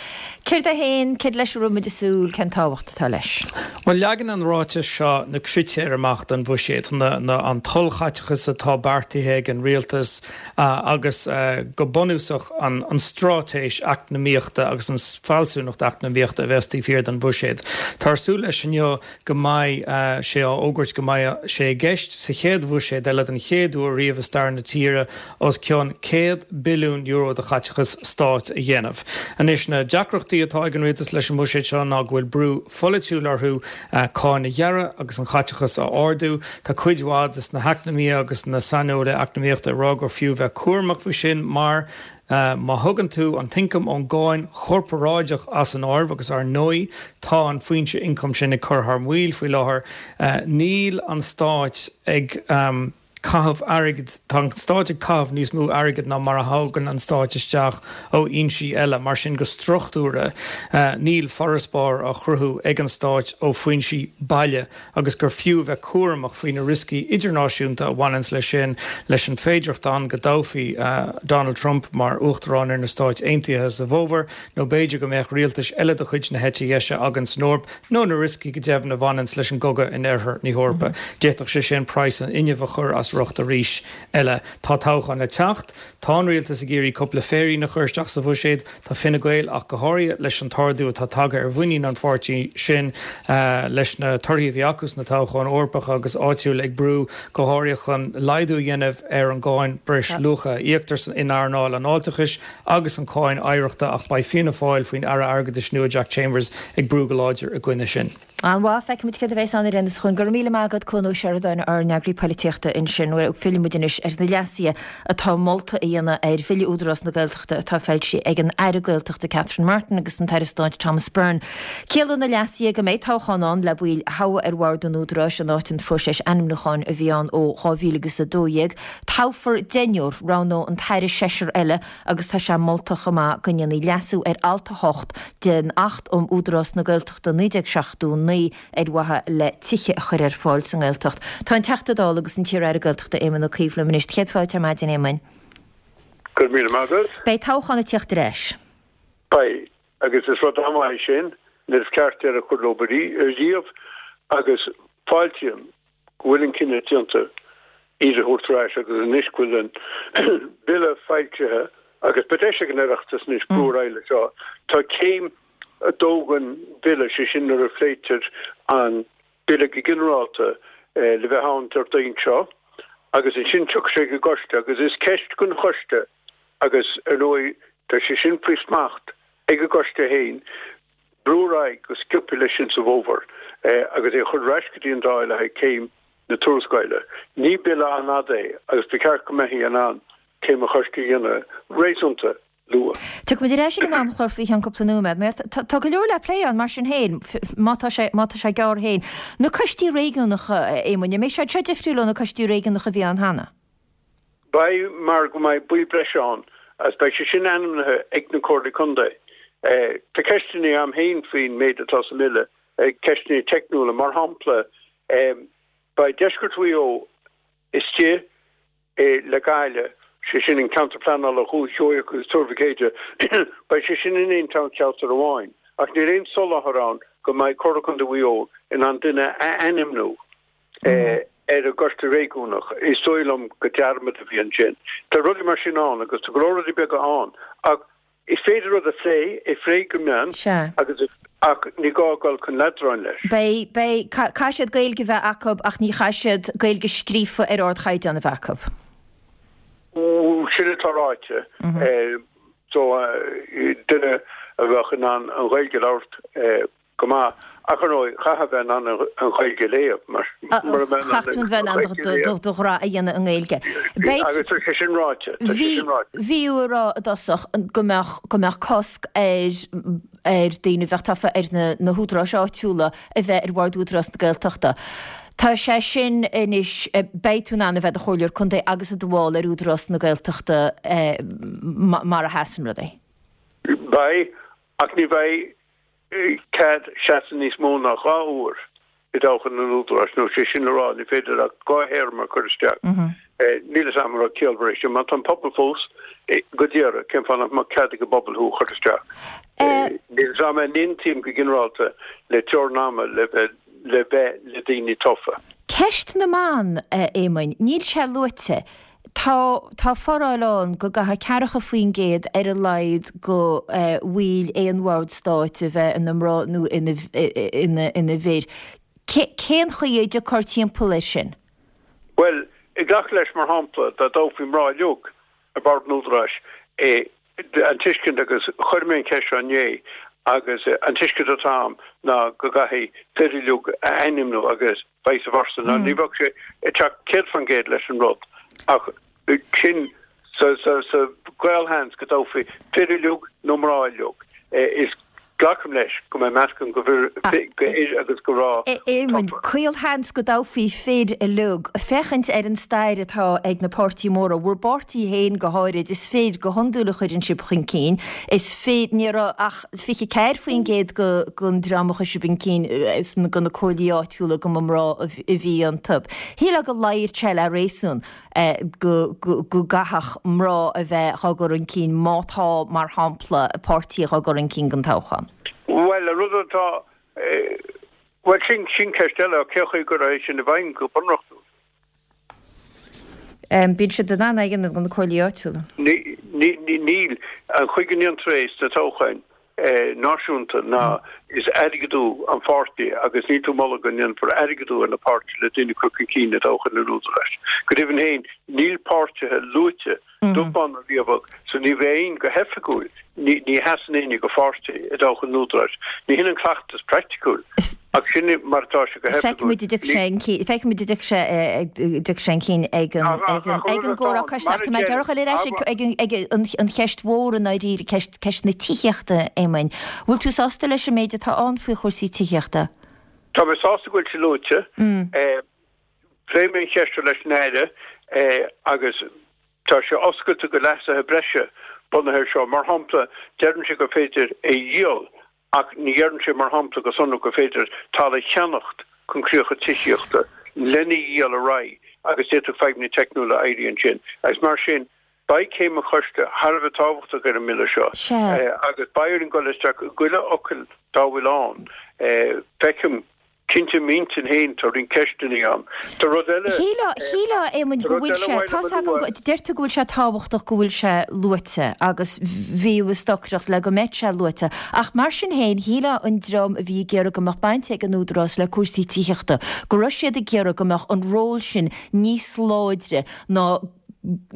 Céard é féin, céard leis a raibh muid ag súil, cén tábhacht atá leis? Bhuel, leagann an ráiteas seo na critéir amach don bhuiséad, na, na, an t-ollchaiteachas atá beartaithe ag an rialtas agus go bunúsach an, an straitéis eacnamaíochta agus an fealsúnacht eacnamaíochta a bheas taobh thiar den bhuiséad. Táthar ag súil leis inniu go mbeidh sé á fhógairt go mbeidh sé i gceist sa chéad bhuiséad eile den chéad uair riamh i stair na tíre os cionn céad billiún euro de chaiteachas stáit a dhéanamh. Anois, na deacrachtaí atá ag an rialtas leis an mbuiséad seo ná go bhfuil brú pholaitiúil orthu cáin a ghearradh agus an chaiteachas a ardú. Tá cuid mhaith de na heacnamaithe agus na saineolaithe eacnamaíochta ag rá gur fiú bheith cúramach faoi sin mar má thugann tú an t-ioncam ón gcáin chorparáideach as an áireamh, agus ar ndóigh tá an foinse ioncaim sin ag cur thar maoil faoi láthair, níl an stáit ag caitheamh airgid, tá an stáit ag caitheamh níos mó airgid ná mar a thagann an stáit isteach ó fhoinsí eile. Mar sin, go struchtúrtha, níl farasbarr á chruthú ag an stáit ó foinsí baile agus gur fiú bheith cúramach faoi na rioscaí idirnáisiúnta a bhaineanns leis sin, leis an féidearthacht ann go dtoghfaí Donald Trump mar Uachtarán ar na Stáit Aontaithe sa bhfómhar, nó b'fhéidir go mbeadh rialtais eile de chuid na heite dheise againn san Eoraip, nó na rioscaí go deimhin a bhaineanns leis an gcogadh in oirthear na hEorpa. D'fhéadfadh sé sin praghas an fhuinnimh a chur as riocht arís eile. Tá toghchán le teacht. Tá an rialtas ag iarraidh cúpla féirín a chur isteach sa bhuiséad. Tá Fine Gael ach go háirithe leis an t-ardú atá tagtha ar mhuinín an pháirtí sin leis na torthaí a bhí acu sna toghcháin Eorpacha agus áitiúla ag brú go háirithe chun laghdú a dhéanamh ar an gcáin breisluacha a íoctar in earnáil an fháilteachais agus an cháin oidhreachta ach beidh Fianna Fáil faoin Aire Airgeadais nua Jack Chambers ag brú go láidir i gcoinne sin. An-mhaith, feicfimid céard a bheas ann ar aon nós. Go raibh míle maith agat, Cuan Ó Seireadáin, ár n-eagraí polaitíochta ansin. Fillfidh muid anois ar na leasuithe atá molta a dhéanamh ar Bhille Údarás na Gaeltachta atá foilsithe ag an Aire Gaeltachta Catherine Martin agus an tAire Stáit Thomas Byrne. Ciallaíonn na leasuithe go mbeidh toghchán ann le baill a thoghadh ar bhord an Údaráis in áit an phróiseas ainmniúcháin a bhí ann ó dhá mhíle agus a dó dhéag. Toghfar deichniúr, roghnóidh an tAire seisear eile agus tá sé molta chomh maith go ndéanfaí leasú ar alt a hocht den Acht um Údarás na Gaeltachta naoi déag seachtó naoi ar mhaithe le tithe a chur ar fáil sa nGaeltacht. Tá an Teachta Dála agus an t-iar-Aire Gaeltachta Éamon Ó Cuív liom anois. Céad fáilte ar maidin, Éamoin. Go raibh míle maith agat. Beidh toghchán ag teacht ar ais. Beidh, agus is rud an-mhaith é sin, nuair is ceart deireadh a chur leo ariamh agus fáiltím go bhfuil an cinneadh déanta iad a thabhairt ar ais agus anois go bhfuil an Bille foilsithe agus beidh deis ag an Oireachtas anois brú ar aghaidh leis seo. Tá céim a dó den Bhille, sé sin nuair a phléitear an Bille go ginearálta, le bheith ann Déardaoin seo agus ansin tiocfaidh sé go coiste agus is ceist don choiste agus ar ndóigh tá sé sin faoi smacht ag an gcoiste féin brú ar aghaidh go sciobtha leis sin sa bhfómhar agus é a chur ar ais go dtí an Dáil le haghaidh céim na tuarascála. Ní bille an-fhada é agus ba cheart go mbeifí in ann céim an choiste a dhéanamh réasúnta luath. Tiocfaimid ar ais ag an amchlár faoi cheann cúpla nóiméad. Mar tá go leor le plé ann mar sin féin, má tá sé, má tá sé gearr féin. Na coistí réigiúnacha, a Éamoin, an mbeidh siad seo difriúil ó na coistí réigiúnacha a bhí ann cheana? Beidh, mar go mbeidh baill breise ann agus beidh sé sin ainmnithe ag na Comhairlí Contae. Tá ceisteanna agam féin faoin méid atá sa mBille, ceisteanna teicniúla. Mar shampla, beidh Deisceart Mhaigh Eo istigh le Gaillimh sé sin an ceantar pleanála Dhúiche Sheoigheach agus Tuar Mhic Éide, beidh sé sin in aon toghcheantar amháin, ach níl aon soláthar ann go mbeidh Comhairle Contae Mhaigh Eo in ann duine a ainmniú ar an gcoiste réigiúnach. Is dóigh liom go dearmad a bhí ansin. Tá rudaí mar sin ann agus tá go leor rudaí beaga ann ach is féidir rud a phlé, é phlé go mion agus ach ní gá dul chun leadráin leis. Beidh, beidh, caithfidh siad Gaeilge a bheith acu ach ní chaithfidh siad Gaeilge scríofa ar ardchaighdeán a bheith acu. Sin atá ráite. So duine a bheadh in ann an Ghaeilge a labhairt go maith, ach ar ndóigh, chaithfeá bheith in ann an Ghaeilge a léamh, mar mura mbeidh Chaithfidh tú bheith in ann do ghrá a dhéanamh i nGaeilge. Beidh. Agus tá sé sin ráite, tá sé sin ráite. Bhí tú ag rá i dtosach go mbeadh, go mbeadh cosc ar, ar daoine a bheadh tofa ar na, na húdaráis áitiúla a bheith ar bhord Údarás na Gaeltachta. Tá sé sin anois, beidh tú in ann a bheith i do chomhairleoir contae agus i do bhall ar Údarás na Gaeltachta mar a sheasann rudaí. Beidh, ach ní bheidh cead seasamh níos mó ná dhá uair i dtoghchán an Údaráis, nó sé sin le rá, ní féidir ach dhá théarma a chur isteach. Níl fhios a'm an raibh ciallmhar é sin. Má tá an pobal fós go d'iarraidh, cén fáth nach mbeadh cead ag an bpobal thú a chur isteach? Níl fhios a'm an n-aontaím go ginearálta le teorainn ama le bheith le bheith le daoine tofa. Ceist na mban, a Éamoinn, níl sé luaite. Tá tá foráil ann go gcaithfidh ceathracha faoin gcéad ar a laghad go bhaill aon bhord stáit a bheith ina mná nó ina ina ina bhfir. Cén chaoi a dtiocfar timpeall air sin? Bhuel, ag glacadh leis, mar shampla, dá dtoghfaí mná uilig ar bhord an Údaráis, an tuiscint, agus chuir mé an cheist seo inné, agus an tuiscint atá agam ná go gcaithfidh fir uilig a ainmniú agus vice versa. Now ní bheadh sé ag teacht céad faoin gcéad leis an rud ach sin sa sa gcaolsheans go dtoghfaí fir uilig nó mná uilig. Is Glacaim leis go mbeidh meascán go fhir agus go mná Éamoinn, tofa. Caolsheans go dtoghfaí fir uilig. Féachaint ar an stair atá ag na páirtí móra, bhur bpáirtí féin go háirid, is fir go hiondúil a chuireann sibh chun cinn. Is fir, ní raibh ach fiche ceathair faoin gcéad den dream a chuir sibh chun cinn do na comhairlí áitiúla go mba mná a bhí iontu. Shílfeá go luífeadh sé le réasún. go gcaithfeadh mná a bheith dhá gcur chun cinn má tá, mar shampla, páirtí dhá gcur chun cinn don toghchán? Bhuel, an rud atá, bhuel, sin, sin ceist eile, cén chaoi a gcuirfeá é sin i bhfeidhm go bunreachtúil? Bíonn siad in ann é a dhéanamh do na comhairlí áitiúla. Níl. An chaoi go ndéantar é sna toghcháin náisiúnta ná is airgeadú an pháirtí agus níl tú ag moladh go ndéanfar airgeadú ar na páirtithe le daoine a chur chun cinn i dtoghchán an Údaráis. Go deimhin féin, níl páirtithe luaite, dubh bán ná riabhach, so ní bheidh aon go hoifigiúil, ní sheasann éinne do pháirtí i dtoghchán an Údaráis. Ní hin an cleachtas praiticiúil. Ach sin mar atá sé go hoifigiúil. Feicfimid an dtiocfaidh sé chun cinn ag an gcomhrá cois. Ach tá mé ag iarraidh a dhul ar ais ag an cheist mhór i ndáiríre, ceist na tithíochta, Éamoinn. Bhfuil tú sásta leis an méid atá ann faoi chúrsaí tithíochta? Tá mé sásta go bhfuil sé luaite. Phléigh mé an cheist seo leis an Aire agus tá sé oscailte do leasuithe breise bunaithe air seo. Mar shampla, deireann sé gur féidir é a dhíol Ach ní dheireann sé, mar shampla, go sonrach gur féidir talamh a cheannacht chun críocha tithíochta lena dhíol ar aghaidh agus d'fhéadfadh fadhbanna teicniúla éirí ansin. Agus mar sin, beidh céim an choiste thar a bheith tábhachtach ar an mBille seo agus beidh orainn dul isteach i gchuile fhocal dá bhfuil ann. Feicim. Cinnte, i m'intinn féin, tá roinnt ceisteanna ann. Tá rud eile. Shílfeá, shílfeá, a Éamoinn, go bhfuil sé, tá's agam go, deir tú go bhfuil sé tábhachtach go bhfuil sé luaite agus bhí tú ag stocaireacht le go mbeadh sé luaite, ach mar sin féin, shílfeá an dream a bhí ag iarraidh go mbeadh baint ag an Údarás le cúrsaí tithíochta, go raibh siad ag iarraidh go mbeadh an ról sin níos láidre ná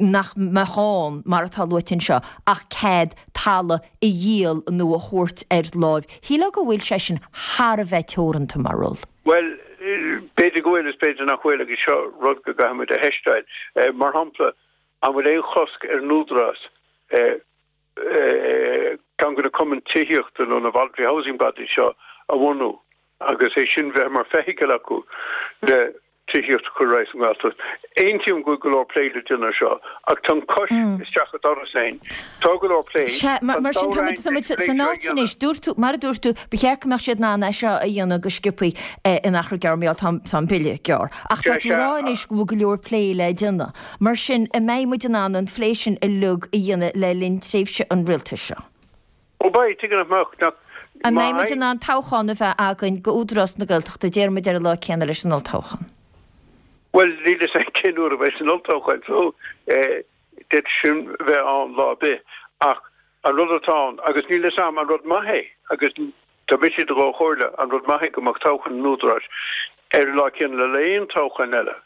nach mbeadh ann, mar atá luaite anseo, ach cead talamh a dhíol nó a thabhairt ar láimh. Shílfeá go bhfuil sé sin thar a bheith teoranta mar ról. Bhuel, b'fhéidir go bhfuil is b'fhéidir nach bhfuil agus seo rud go gcaithfidh muid a theisteáil. Mar shampla, an bhfuil aon chosc ar an Údarás ceann de na cumainn tithíochta nó na voluntary housing bodies seo a bhunú agus é sin bheith mar feithicil acu le tithíocht a chur ar aghaidh sa nGaeltacht. Aontaím go bhfuil go leor plé le déanamh seo, ach tá an chois isteach an doras againn. Tá go leor plé. Sea, mar sin tá muid, tá muid san áit anois, dúirt tú, mar a dúirt tú, ba cheart go mbeadh siad in ann é seo a dhéanamh go sciobthaí in achar gearr, mar gheall tá an bille gearr. Ach tá tú ag rá anois go bhfuil go leor plé le déanamh. Mar sin, an mbeidh muid in ann an phlé sin uilig a dhéanamh le linn tréimhse an rialtais seo? Ó beidh, tuige nach mbeadh, nach, An mbeidh muid in ann toghchán a bheith againn go Údarás na Gaeltachta, déarfaidh muid ar an lá céanna leis an olltoghchán? Bhuel, níl fhios a'm cén uair a bheidh an olltoghchán so d'fhéadfadh sin bheith ann lá ar bith. Ach an rud atá ann, agus níl fhios a'm an rud maith é, agus tá mise do chomhairle, an rud maith é go mbeadh toghchán an Údaráis ar an lá céanna le aon toghchán eile.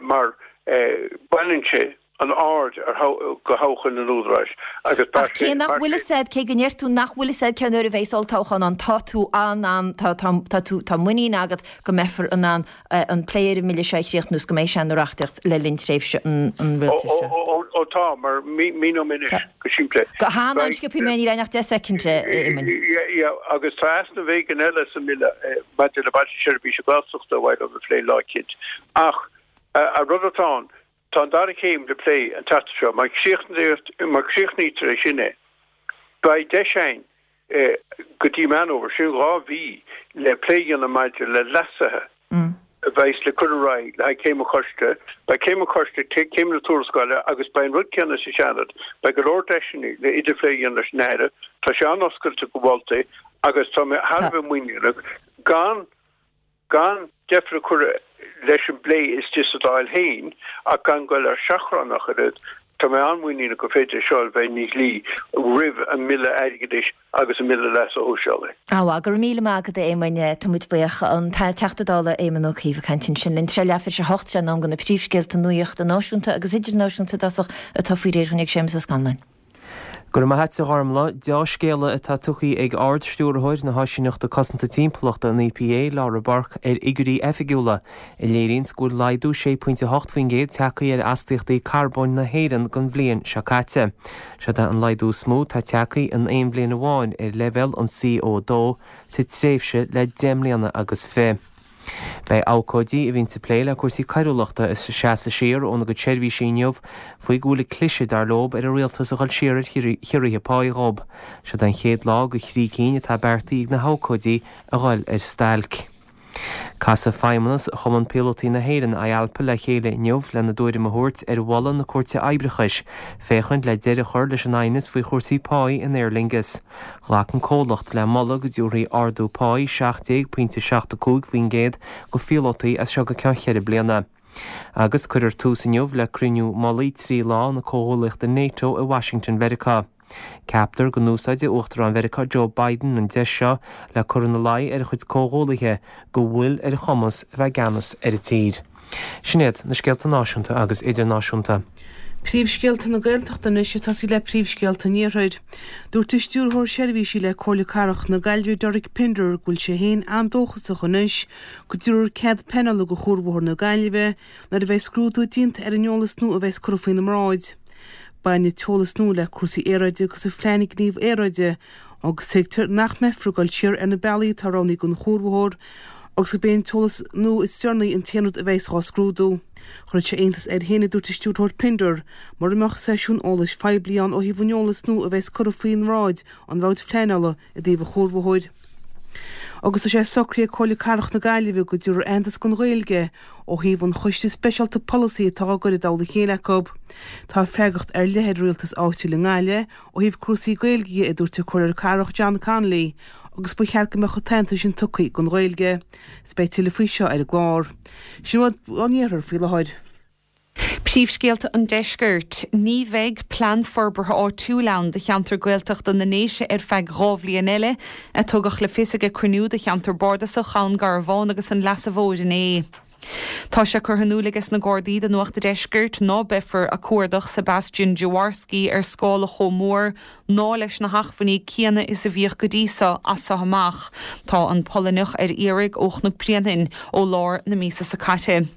mar baineann sé an aird ar go thoghchán an Údaráis agus Ach cé nach bhfuil fhios a'd, cé go ndeir tú nach bhfuil fhios a'd cén uair a bheas olltoghchán ann, tá tú in ann, tá, tá, tá tú, tá muinín agat go mbeifear in ann an plé ar an mbille seo a chríochnú is go mbeidh sé ina reachtaíocht le linn tréimhse an rialtais seo. Ó, ó, ó, tá, mar míneoidh mé anois go simplí. Go han-an-sciobtha, mé níl a'inn ach deich soicind, a Éamoinn. Yeah, yeah, agus tá easnamh éigin eile sa mbille maidir le Bailte Seirbhíse Gaeltachta a bheidh le plé lá eicínt. Ach an rud atá ann, tá an dara céim le plé an tseachtain seo. Má chríochnaítear é sin é, beidh deis againn go dtí Meán Fhómhair, sin dhá mhí, le plé a dhéanamh maidir le leasuithe a bheas le cur ar aghaidh le haghaidh céim an choiste. Beidh céim an choiste, céim na tuarascála agus beidh an rud céanna sa Seanad. Beidh go leor deiseanna le idirphlé a dhéanamh leis an Aire. Tá sé an-oscailte go mholtaí agus tá mé thar a bheith muiníneach gan gan deifir a chur leis an bplé istigh sa Dáil féin ach gan goil ar seachrán ach oiread, tá mé an-mhuiníneach gur féidir é seo a bheith ina dhlí roimh an mBille Airgeadais agus an mBille Leasa Shóisialaigh. Á, go raibh míle maith agat a Éamoinn, tá muid buíoch. An Teachta Dála Éamon Ó Cuív ag caint ansin linn. Sé leathuair tar éis a hocht, sé an am do na príomhscéalta nuachta náisiúnta agus idirnáisiúnta i dtosach atá faoi réir dhúinn ag Séamus Ó Scanláin. Go raibh maith a't a Ghormlaith. Deá-scéala atá tugtha ag Ard-Stiúrthóir na hÁisíneachta Cosanta Timpeallachta, an EPA, Laura Burke, ar fhigiúirí oifigiúla a léiríonns go bhfuil laghdú sé pointe a hocht faoin gcéad tagtha ar astaíochtaí carbóin na hÉireann don bhliain seo caite. Seod é an laghdú is mó atá tagtha in aon bhliain amháin ar leibhéal an C O dó sa tréimhse le deich mbliana agus fiche. Beidh abhcóidí a bhíonns ag plé le cúrsaí coiriúlachta ag seasamh siar óna gcuid seirbhísí inniu faoi go bhfuil ag cliseadh, dar leo, ar an rialtas a dhul siar ar chiorruithe páí dhób. Seod é an chéad lá de thrí cinn atá beartaithe ag na habhcóidí a dhul ar stailc. Casfaidh feidhmeannas Chumann Píolótaí na hÉireann, IALPA, le chéile inniu lena dtuairim a thabhairt ar mholadh na Cúirte Oibreachais féachaint le deireadh a chur leis an aighneas faoi chúrsaí páí in Aer Lingus. Ghlac an comhlacht le moladh go dtabharfaí ardú páí seacht déag pointe seacht a cúig faoin gcéad go phíolótaí as seo go ceann cheithre bliana. Agus cuirfear tús inniu le cruinniú mullaigh trí lá na comhghuaillíochta NATO i Washington Mheiriceá. Ceaptar go n-úsáidfidh Uachtarán Mheiriceá Joe Biden an deis seo le cur ina luí ar a chuid comhghuaillithe go bhfuil ar a chumas a bheith i gceannas ar an tír. Sin iad na scéalta náisiúnta agus idirnáisiúnta. Príomhscéalta na Gaeltachta anois ag tosaí le príomhscéalta an Iarthair. Dúirt an Stiúrthóir Seirbhísí le Comhairle Cathrach na Gaillimhe Derek Pinder go bhfuil sé féin an-dóchasach anois go dtabharfar cead pleanála do Chuarbhóthar na Gaillimhe nuair a bheidh scrúdú déanta ar an eolas nua a bheas curtha faoina mbráid. Baineann an t-eolas nua le cúrsaí aeráide agus an Phlean Gníomh Aeráide agus tuigtear nach mbeifear ag dul siar ar na bealaí atá roghnaithe don chuarbhóthar agus gurb é an t-eolas nua is deireanaí an t-aon rud a bheas á scrúdú. Chuirfeadh sé iontas air féin, a dúirt an Stiúrthóir Pinder, mura mbeadh seisiún eolais phoiblí ann ó thaobh an eolas nua a bheas curtha faoin mbráid an bhabhta pleanála i dtaobh an chuarbhóthair. Agus tá sé socraithe ag Comhairle Cathrach na Gaillimhe go dtabharfar aitheantas don Ghaeilge ó thaobh an choiste speisialta polasaí atá á gcur i dtoll a chéile acu. Tá freagracht ar leith ar an rialtas áitiúil i nGaillimh ó thaobh cúrsaí Gaeilge dhe, a dúirt an Comhairleoir Cathrach John Connolly, agus ba cheart go mbeadh an t-aitheantas sin tugtha don Ghaeilge. Is beidh tuilleadh faoi seo ar an gclár. Sin a bhfuil ón iarthar faoi láthair. Príomhscéalta an Deiscirt, Ní bheidh plean forbartha áitiúil ann do cheantar Gaeltachta na nDéise ar feadh dhá bhliain eile, a tugadh le fios ag cruinniú de cheantar bardasach Dhún Garbhán agus an Leasa Mhóir inné. Tá sé curtha in iúl ages na Gardaí do Nuacht a' Deiscirt ná beifear ag cuardach Sebastian Jaworski ar scála chomh mór ná leis na hachmhainní céanna is a bhíodh go dtí so as so amach. Tá an Polainneach ar iarraidh ó Chnoc Bréanainn ó lár na míosa so caite.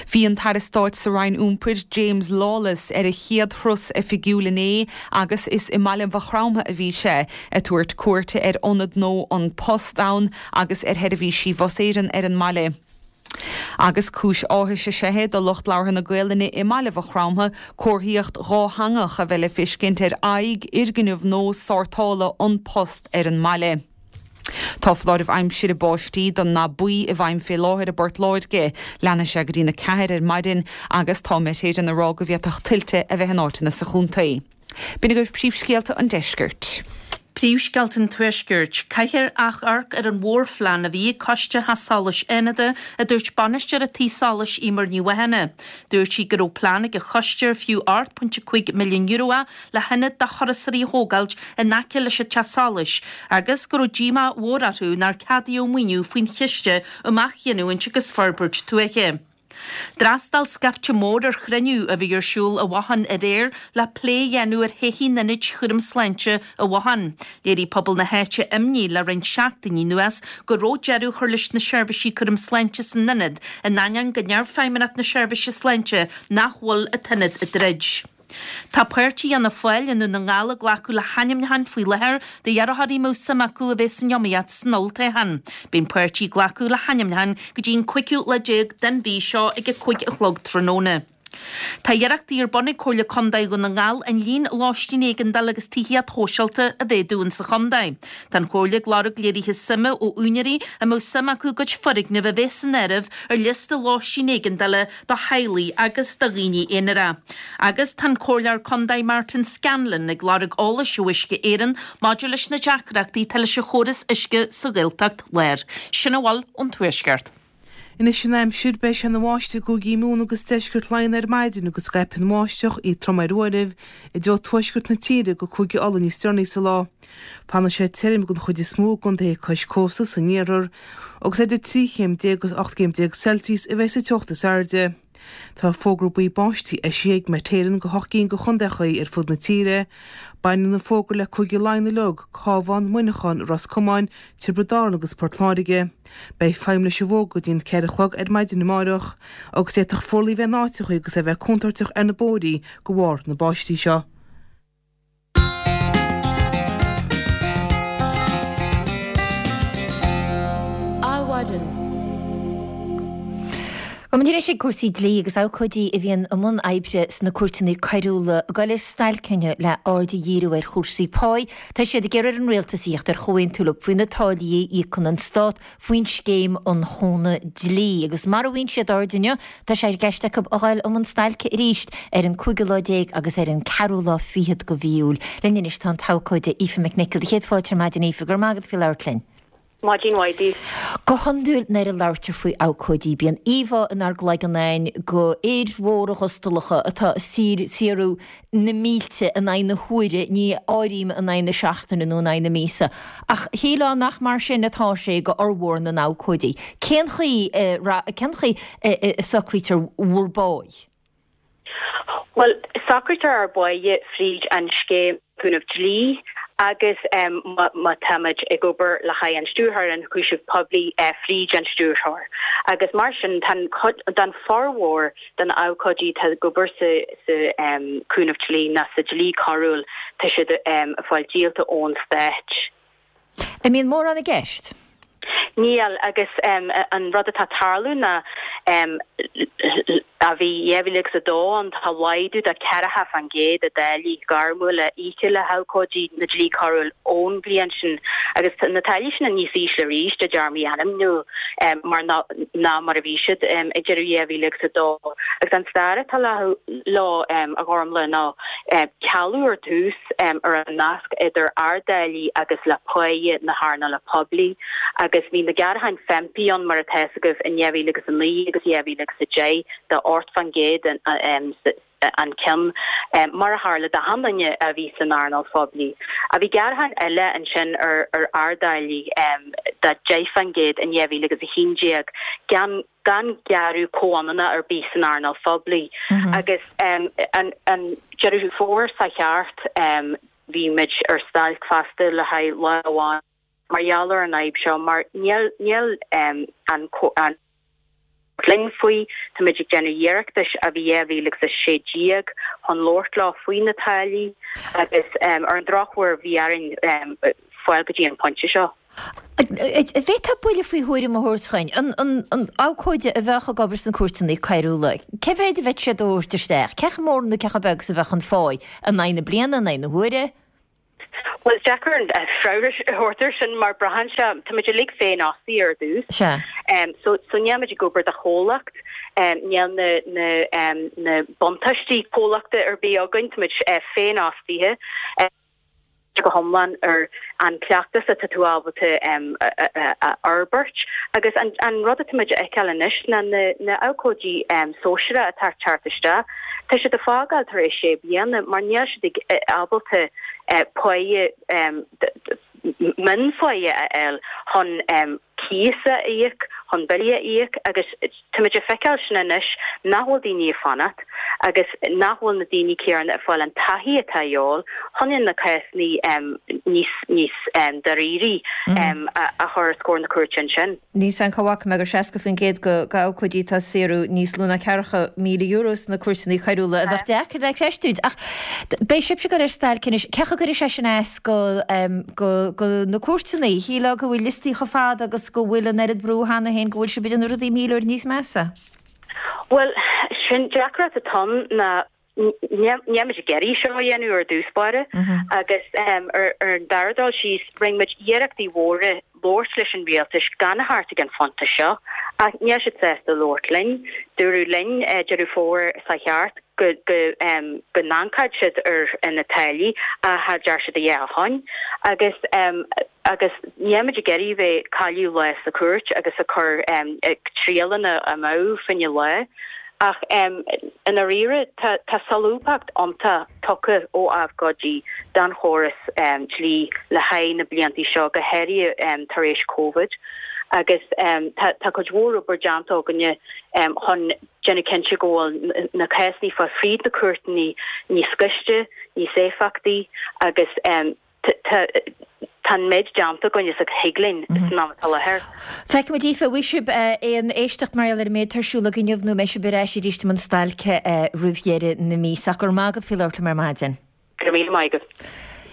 Bhí an tAire Stáit sa Roinn Iompair, James Lawless, ar a chéad thuras oifigiúil inné agus is i mbaile Mhaigh Chromtha a bhí sé, ag tabhairt cuairte ar ionad nua An Post ann agus ar sheirbhísí Bhus Éireann ar an mbaile. Agus cúis áthais is ea é do lucht labhartha na Gaelainne i mBaile Mhaigh Chromtha comharthaíocht dhátheangach a bheith le feiscint ar aghaidh fhoirgneamh nua sórtála An Post ar an mbaile. Tá foláireamh aimsire báistí den ndath buí i bhfeidhm fé láthair i bPort Láirge. Leanfaidh sé go dtí'n a ceathair ar maidin agus tá Met Éireann ag rá go bhféadfadh tuilte a bheith in áiteanna sa chontae. B'in agaibh príomhscéalta an deiscirt. Príomhscéalta an Tuaiscirt. Caithfear amharc ar an mhórphlean a bhí ag Coiste Theach Solais Fhánada, a dúirt bainisteoir an tí solais Eimear Ní Mhathúna. Dúirt sí go raibh plean ag an choiste ar fiú ocht pointe cúig milliún euro é le hionad do thurasóirí a thógáilt in aice leis an teach solais agus go raibh díomá mhór orthu nár ceadaíodh maoiniú faoin Chiste um Athghiniúint agus Forbairt Tuaithe. D'fhreastail scaifte mór ar chruinniú a bhí ar siúl i bhFothain aréir le plé a dhéanamh ar thodhchaí an Ionaid Chúram Sláinte i bhFothain. Léirigh pobal na háite imní le roinnt seachtainí anuas go raibh deireadh á chur leis na seirbhísí cúram sláinte san ionad in ainneoin go ndeir Feidhmeannacht na Seirbhíse Sláinte nach bhfuil an t-ionad ag druid. Tá páirtí Fhianna Fáil i nDún na nGall ag glacadh le hainmneacháin faoi láthair d'iarrthóirí a mbeadh suim acu a bheith san iomaíocht san olltoghchán. Beidh an páirtí ag glacadh le hainmneacháin go dtí an cúigiú lá déag den mhí seo ag a cúig a chlog tráthnóna. Tá iarrachtaí ar bun ag Comhairle Contae Dhún na nGall an líon lóistín éigeandála agus tithíocht shóisialta a mhéadú insa chontae. Tá an Chomhairle ag lorg léirithe suime ó úinéirí a mbeadh suim acu a gcuid foirgneamh a bheith san áireamh ar liosta lóistín éigeandála do theaghlaigh agus do dhaoine aonair. Agus tá an Comhairleoir Contae Martin Scanlon ag lorg eolais ó Uisce Éireann maidir leis na deacrachtaí atá leis an chóras uisce sa Ghaeltacht Láir. Sin a bhfuil ón Tuaisceart. Anois an aimsir, beidh sé ina bháisteach i gcúigí Mumhan agus deisceart Laighean ar maidin agus scaipfidh an bháisteach, í trom ar uairibh, i dtreo tuaisceart na tíre go Cúige Uladh níos deireanaí sa lá. Fanfaidh sé tirim den chuid is mó i gcontaetha cois cósta san iarthar agus idir trí chéim déag agus ocht gcéim déag Celsius a bheidh sa teocht is airde. Tá fógra buí báistí eisithe ag Met Éireann go hocht gcinn de chontaethacha ar fud na tíre. Baineann an fógra le Cúige Laighean uilig, Cabhán, Muineachán, Ros Comáin, Tiobraid Árann agus Port Láirge. Beidh feidhm leis an bhfógra go dtí an ceithre a chlog ar maidin amárach agus d'fhéadfadh fuarlaigh bheith in áiteacha agus é bheith contúirteach ar na bóithrí de bharr na báistí seo. Adhmhaidin. Gabhfaidh muid anois ag cúrsaí dlí agus abhcóidí a bhíonn i mbun oibre sna cúirteanna coiriúla ag dul ar stailc inniu le aird a dhíriú ar chúrsaí páí. Tá siad ag iarraidh ar an rialtas a thíocht ar chomhaontú leo faoi na táillí a íocann an stát faoin scéim um chúnamh dlí. Agus mara bhfaigheann siad aird inniu, tá sé i gceist acu a dhul i mbun stailce arís ar an cúigiú lá déag agus ar an ceathrú lá fichead de mhí Iúil. Linn anois tá an t-abhcóide Aoife McNicholl. Céad fáilte ar maidin Aoife, go raibh maith agat faoi labhairt linn. Maidin mhaith daoibh. Go hiondúil nuair a labhartar faoi abhcóidí bíonn íomhá inár gcloigeann againn de fhir mhóra ghustalacha atá ag saothrú na mílte in aghaidh na huaire, ní áirím in aghaidh na seachtaine nó in aghaidh na míosa. Ach shílfeá nach mar sin atá sé go fhormhór na n-abhcóidí. Cén chaoi cén chaoi a socraítear bhur bpáigh? Bhuel, socraítear ár bpáighe fríd an Scéim Cúnamh Dlí agus má táimid ag obair le haghaidh an Stiúrthóir Ionchúiseamh Poiblí, fríd an Stiúrthóir. Agus mar sin, tá don formhór de na abhcóidí atá ag obair sa Cúnamh Dlí ná sa dlí coiriúil, tá siad ag fáil díolta ón Stát. An mbíonn mórán i gceist? Níl, agus an rud atá ag tarlú ná ó bhí dhá mhíle agus a dó ann tá laghdú de ceathracha fán gcéad i dtáillí gairmiúla íoctha le habhcóidí na dlí coiriúil ón bhliain sin agus tá na táillí sin níos ísle arís i dtéarmaí ainmniúil mar ná mar a bhí siad ag deireadh dhá mhíle agus a dó. Agus an stair atá leo, a Ghormlaith, ná cealú ar dtús ar an nasc idir ár dtáillí agus le páighe na hearnála poiblí agus bhí na gearrtháin FEMPI ann mar atá fhios agaibh in dhá mhíle agus a naoi agus dhá mhíle agus a deich de ocht fán gcéad an ceann, mar a tharla d'achan duine a bhí san earnáil phoiblí. Ach bhí gearrtháin eile ansin ar ár dtáillí de deich fán gcéad in dhá mhíle agus a haon déag gan gan gearradh comhionannach ar bith san earnáil phoiblí agus an Deireadh Fómhair seo thart bhí muid ar stailc fosta le haghaidh lá amháin mar gheall ar an fhadhb seo mar níl níl an an linn faoi. Táimid ag déanamh iarrachtais ó bhí dhá mhíle agus a sé déag chun labhairt leo faoi na táillí agus ar an drochuair bhí orainn fáil go dtí an pointe seo. An bhféadfá buille faoi thuairim a thabhairt dhúinn, an an abhcóide a bheadh ag obair sna cúirteanna coiriúla, cé mhéad a bheadh siad a thabhairt isteach? Cé chomh mór nó cé chomh beag is a bheadh an pháigh? In aghaidh na bliana, in aghaidh na huaire? Bhuel, is deacair an freagra a thabhairt air sin mar braitheann sé, táimid uilig féinfhostaithe ar dtús. Sea. So so nílimid ag obair do chomhlacht, níl na na na buntáistí comhlachta ar bith againn, táimid féinfhostaithe. go hiomlán ar an cleachtas atá tú ábalta a fhorbairt agus an rud atá muid a fheiceáil anois ná na abhcóidí sóisearacha atá ag teacht isteach, tá siad ag fágáil tar éis sé bliana mar níl siad ábalta páighe mionpháighe a fháil chun cíos a íoc, chun billí a íoc agus táimid ag feiceáil sin anois nach bhfuil daoine ag fanacht agus nach bhfuil na daoine céanna ag fáil an taithí atá a dhíobháil chun na cásanna níos níos dáirírí a chur os comhair na cúirte ansin. Níl 's a'm cá bhfaca mé gur seasca faoin gcéad de abhcóidí atá ag saothrú níos lú ná ceathracha míle euro sna cúirteanna coiriúla a bheadh deacair le creistiúint. Ach beidh sibhse ag dul ar stailc anois. Cé chaoi a gcuirfidh sé sin as go go na cúirteanna? Shílfeá go bhfuil liostaí chomh fada agus go bhfuil an oiread brú cheana féin go bhfuil sibh ag déanamh rudaí míle uair níos measa. Bhuel, sin deacracht atá ann ná Níl muid ag iarraidh seo a dhéanamh ar dtús báire agus ar an dara dul síos rinne muid iarrachtaí mhóra labhairt leis an rialtas gan a theacht ag an phointe seo ach níl siad sásta labhairt linn. Dúradh linn Deireadh Fómhair seo thart go go go n-amharcfadh siad ar na táillí ach cha deir siad a dhath ó shin agus agus níl muid ag iarraidh bheith ag cailleadh lá sa chúirt agus ag cur triaileanna amú fá choinne lá. Ach i ndáiríre, tá solúbthacht iontach tugtha ó abhcóidí don chóras dlí le haghaidh na blianta seo, go háirithe tar éis Covid, agus tá cuid mhór obair déanta againne chun déanamh cinnte go bhfuil na cásanna fáil fríd na cúirteanna níos gaiste, níos éifeachtaí agus Tá an méid déanta againn is a thig linn san am atá i láthair. Feicfimid Aoife, an bhfaighidh sibh aon éisteacht mar gheall ar an méid atá ar siúl agaibh inniu nó an mbeidh sibh ar ais arís i mbun stailce roimh dheireadh na míosa. Ach go raibh maith agat faoi labhairt liom ar maidin. Go raibh míle maith agat.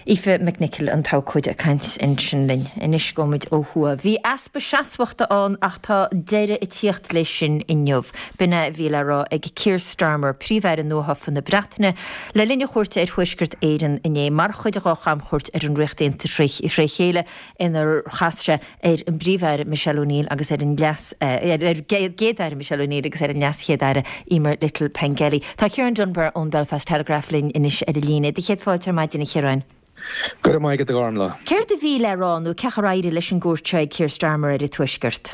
Aoife McNicholl, an t-abhcóide ag caint ansin linn. Anois gabhfaimid ó thuaidh. Bhí easpa seasmhachta ann ach tá deireadh ag tíocht leis sin inniu. B'in é a bhí le rá ag Keir Starmer, Príomh-Aire nuathofa na Breataine, le linn a chuairte ar Thuaisceart Éireann inné mar chuid de dhá chamchuairt ar an Ríocht Aontaithe tré chéile inar chas sé ar an bPríomh-Aire Michelle O'Neill agus ar an Leas ar an gCéad-Aire Michelle O'Neill agus ar an Leas-Chéad-Aire Emer Little Pengelly. Tá Ciarán Dunbar ón Belfast Telegraph linn anois ar an líne. Do chéad fáilte ar maidin, a Chiaráin. Go raibh maith agat, a Ghormfhlaith. Céard a bhí le rá nó cén chaoi ar éirigh leis an gcuairt seo ag Keir Starmer ar an Tuaisceart?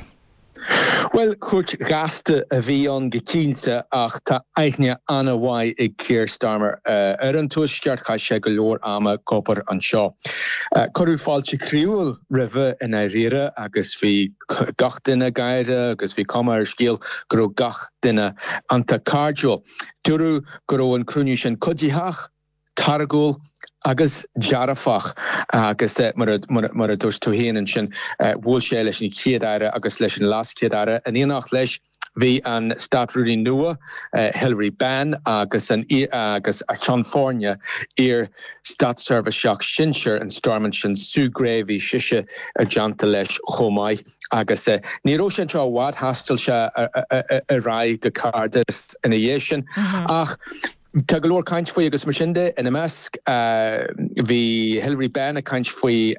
Bhuel, cuairt ghasta a bhí ann go cinnte ach tá aithne an-mhaith ag Keir Starmer ar an Tuaisceart, chaith sé go leor ama ag obair anseo. Cuireadh fáilte chroíúil roimhe i ndáiríre agus bhí gach duine ag gáire agus bhí cuma ar an scéal go raibh gach duine iontach cairdiúil. Dúradh go raibh an cruinniú sin cuiditheach. táirgiúil agus dearfach agus mar a dúirt tú féin ansin, bhuail sé leis an Chéad-Aire agus leis an LeasChéad-Aire. In éineacht leis bhí an Státrúnaí nua, Hilary Benn, agus an agus a cheann foirne, iar-státseirbhíseach sinsir in Stormont sin, Sue Gray, bhí sise i dteannta leis chomh maith. Agus ní raibh sé anseo i bhfad, thaistil sé ar aghaidh go Cardiff ina dhiaidh sin. Ach. Tá go leor caint faoi agus mar sin de. Ina measc, bhí Hilary Benn ag caint faoi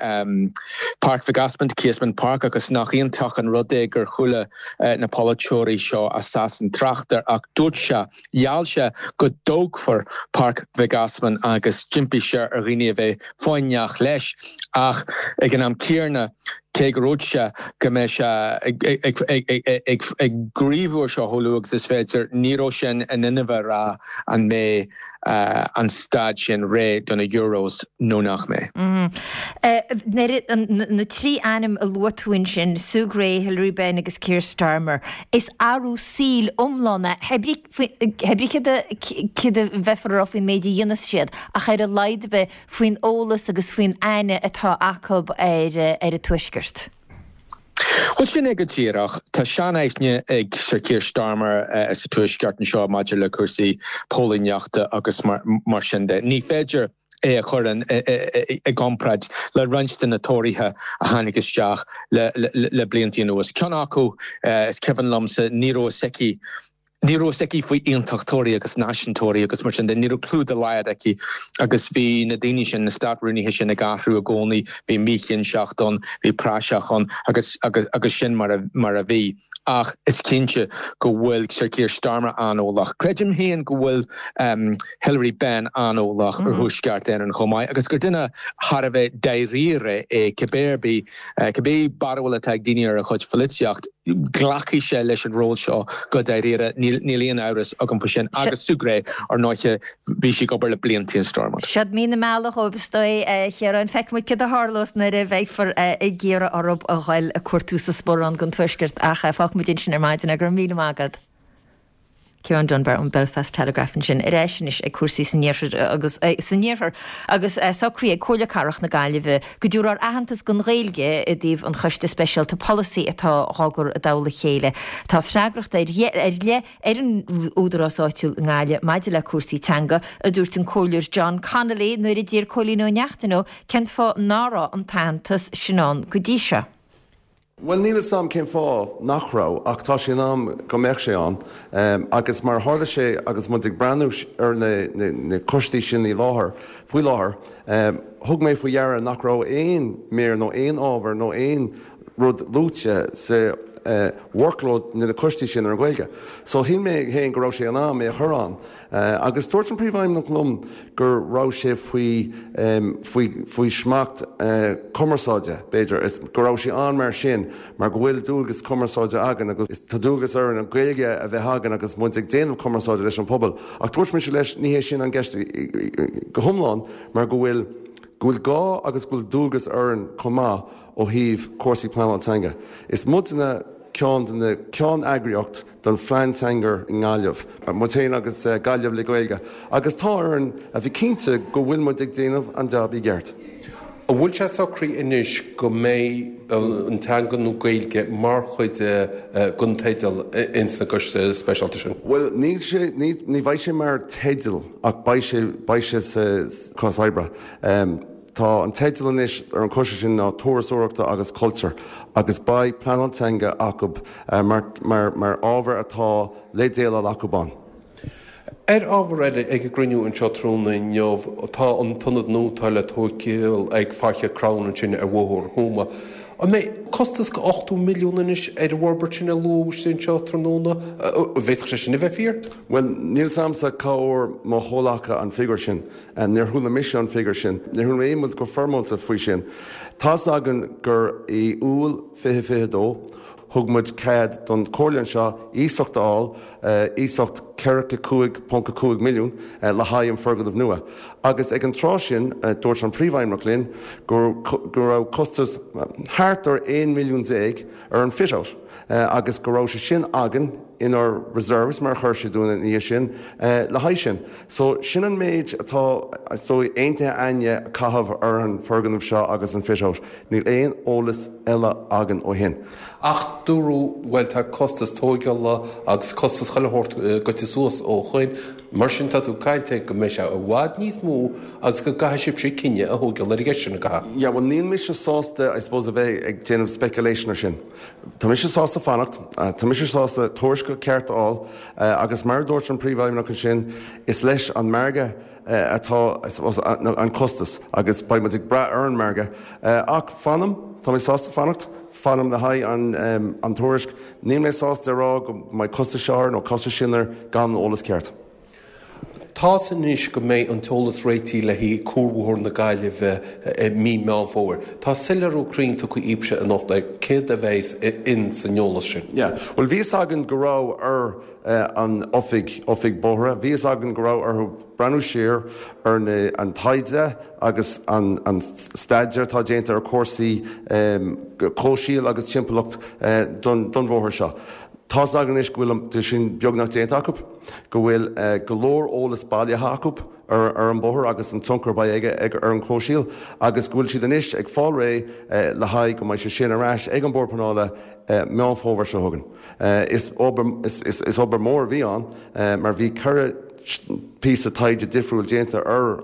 Páirc Mhic Easmaint, Casement Park, agus nach iontach an rud é gur chuala na polaiteoirí seo as Sasain trácht air ach dúirt sé, gheall sé go dtógfar Páirc Mhic Easmainn agus d'impigh sé ar dhaoine a bheith foighneach leis ach ag an am céanna, Cé go ndúirt sé go mbeidh sé ag gníomhú air seo chomh luath agus is féidir, ní raibh sé in inmhe a rá an mbeidh an staid sin réidh do na Euros nó nach mbeidh. Na trí ainm a luaigh tú ansin, Sue Gray, Hilary Benn agus Keir Starmer, is athrú saoil iomlán é, hé brí céard a bheifear a rá faoin méid a dhéanfas siad, ach ar a laghad ar bith faoin eolas agus faoin aithne atá acu ar an Tuaisceart. Bhuel, sin é go díreach. Tá sean-aithne ag Sir Keir Starmer sa Tuaisceart anseo maidir le cúrsaí póilíneachta agus mar sin de. Ní féidir é a chur i gcomparáid le roinnt de na Tóraithe a tháinig isteach le blianta anuas. Ceann acu, is cuimhin liomsa, ní raibh fhios aici, ní raibh fhios aici faoi aontachtóirí agus náisiúntóirí agus mar sin de, ní raibh clue dá laghad aici agus bhí na daoine sin, na státrúnaithe sin ag athrú i gcónaí, bhí míchinnteacht ann, bhí praiseach ann agus agus sin mar a mar a bhí. Ach is cinnte go bhfuil Sir Keir Starmer an-eolach. Creidim féin go bhfuil Hilary Benn an-eolach ar Thuaisceart Éireann chomh maith agus gur duine thar a bheith dáiríre é cibé ar bith, cibé barúil atá ag daoine ar a chuid pholaitíocht, glacfaidh sé leis an ról seo go dáiríre, níl aon amhras agam faoi sin. Agus Sue Gray, ar ndóiche, bhí sí ag obair le blianta in Stormont. Siod mí na meala dhóibh is dóigh, a Chiaráin. Feicfidh muid céard a tharlós nuair a bheifear ag iarraidh orthu a ghoil ag cuartú sa sparán don Tuaisceart ach fágfaidh muid ansin ar maidin é. Go raibh míle maith agat. Ciarán Dunbar ón Belfast Telegraph ansin. Ar ais anois ag cúrsaí san iarthar agus san iarthar agus socraithe ag Comhairle Cathrach na Gaillimhe go dtabharfar aitheantas don Ghaeilge i dtaobh an choiste speisialta polasaí atá dhá gcur i dtoll a chéile. Tá freagracht ar leith ar an údarás áitiúil i nGaillimh maidir le cúrsaí teanga, a dúirt an Comhairleoir John Connolly nuair a d'iarr Cóilín Ó Neachtain dó cén fáth ná raibh an t-aitheantas sin ann go dtí seo. Bhuel, níl 'fhios a'm cén fáth nach raibh, ach tá sé in am go mbeadh sé ann. Agus mar a tharla sé agus muid ag breathnú ar na coistí sin i láthair, faoi láthair, thug mé faoi deara nach raibh aon mír nó aon ábhar nó aon rud luaite sa workload na coistí sin ar an Ghaeilge. So shíl mé féin go raibh sé in am é a chur ann. Agus dúirt an Príomhfheidhmeannach liom go raibh sé faoi faoi faoi smacht cumarsáide, b'fhéidir, is go raibh sé ann mar sin mar go bhfuil dualgas cumarsáide againn agus tá dualgas orainn an Ghaeilge a bheith againn agus muid ag déanamh cumarsáide leis an pobal. Ach dúirt mise leis, ní hé sin an gceist go hiomlán mar go bhfuil go bhfuil gá agus go bhfuil dualgas orainn chomh maith ó thaobh cúrsaí pleanáil teanga. Is muidne ceann de na ceann-eagraíocht don phlean teanga i nGaillimh, muid féin agus Gaillimh le Gaeilge, agus tá orainn a bheith cinnte go bhfuil muid ag déanamh an jab i gceart. An bhfuil sé socraithe anois go mbeidh an teanga nó Gaeilge mar chuid den teideal ins na gcoiste speisialta sin? Bhuel, níl sé, ní, ní bheidh sé mar teideal ach beidh sé, beidh sé sa cás oibre. Tá an teideal anois ar an choiste sin ná Turasóireachta agus Cultúr agus beidh pleanáil teanga acu mar mar mar ábhar atá le déileáil acu ann. Ar ábhar eile, ag an gcruinniú anseo tráthnóna inniu, tá an t-ionad nua atá le tóigeáil ag Faiche Crann ansin ar Bhóthar Thuama. An mbeidh costas go ochtó milliún anois ar an bhforbairt sin a luadh anseo tráthnóna? An bhféadfadh sé sin a bheith fíor? Bhuel, níl 's a'msa cá bhfuair mo chomhleacaithe an figiúr sin. Níor chuala mise an figiúr sin. Níor chuala mé aon rud go foirmeálta faoi sin. Tá's againn gur i Iúil fiche fiche dó, thug muid cead don Chomhairle anseo iasacht a fháil, iasacht ceathracha cúig ponc a cúig milliún, le haghaidh an foirgneamh nua. Agus ag an tráth sin, dúirt an Príomhfheidhmeannach linn go raibh costas thart ar aon milliún déag ar an fit-out agus go raibh sé sin againn inár reserves, mar a chuir sé dúinn ina dhiaidh sin, le haghaidh sin. So, sin an méid atá, is dóigh, aontaithe againne a chaitheamh ar an foirgneamh seo agus an fit-out. Níl aon eolas eile againn ó shin. Ach dúradh, bhuel, tá costas tóigeála agus costas chuile shórt goite suas ó shoin, mar sin tá tú ag caint ar go mbeidh sé i bhfad níos mó agus go gcaithfidh sibhse cinneadh a thóigeáil ar an gceist sin, an gcaithfidh? Yeah, bhuel, níl mise sásta, I suppose, a bheith ag déanamh speculation ar sin. Tá mise sásta fanacht, tá mise sásta tuairisc ceart a fháil agus mar a dúirt an Príomhfheidhmeannach ansin, is leis an margadh atá, I suppose, an costas agus beidh muid ag brath ar an margadh. Ach fanaim, tá mé sásta fanacht, fanaim le haghaidh an an tuairisc. Níl mé sásta a rá go mbeidh costas seo air nó costas sin air gan an eolas ceart. Tá's anois go mbeidh an t-eolas réitithe le haghaidh Cuarbhóthar na Gaillimhe i mí Meán Fómhair. Tá soiléiriú cruinn tugtha daoibhse anocht ar céard a bheas in san eolas sin. Yeah. Bhuel, bhí fhios againn go raibh ar an oifig, oifig bóithre, bhí fhios againn go raibh orthu breathnú siar ar na, an taighde agus an, an staidéar atá déanta ar chúrsaí comhshaoil agus timpeallacht don, don bhóthar seo. Tá's againn anois go bhfuil sin beagnach déanta acu, go bhfuil go leor eolas bailithe acu ar an bóthar agus an tionchar a bheidh aige ar an chomhshaol agus go bhfuil siad anois ag fáil réidh le haghaidh go mbeidh sé sin ar ais ag an Bord Pleanála Meán Fómhair seo chugainn. Is obair mór a bhí ann mar bhí ceithre píosa taighde difriúil déanta ar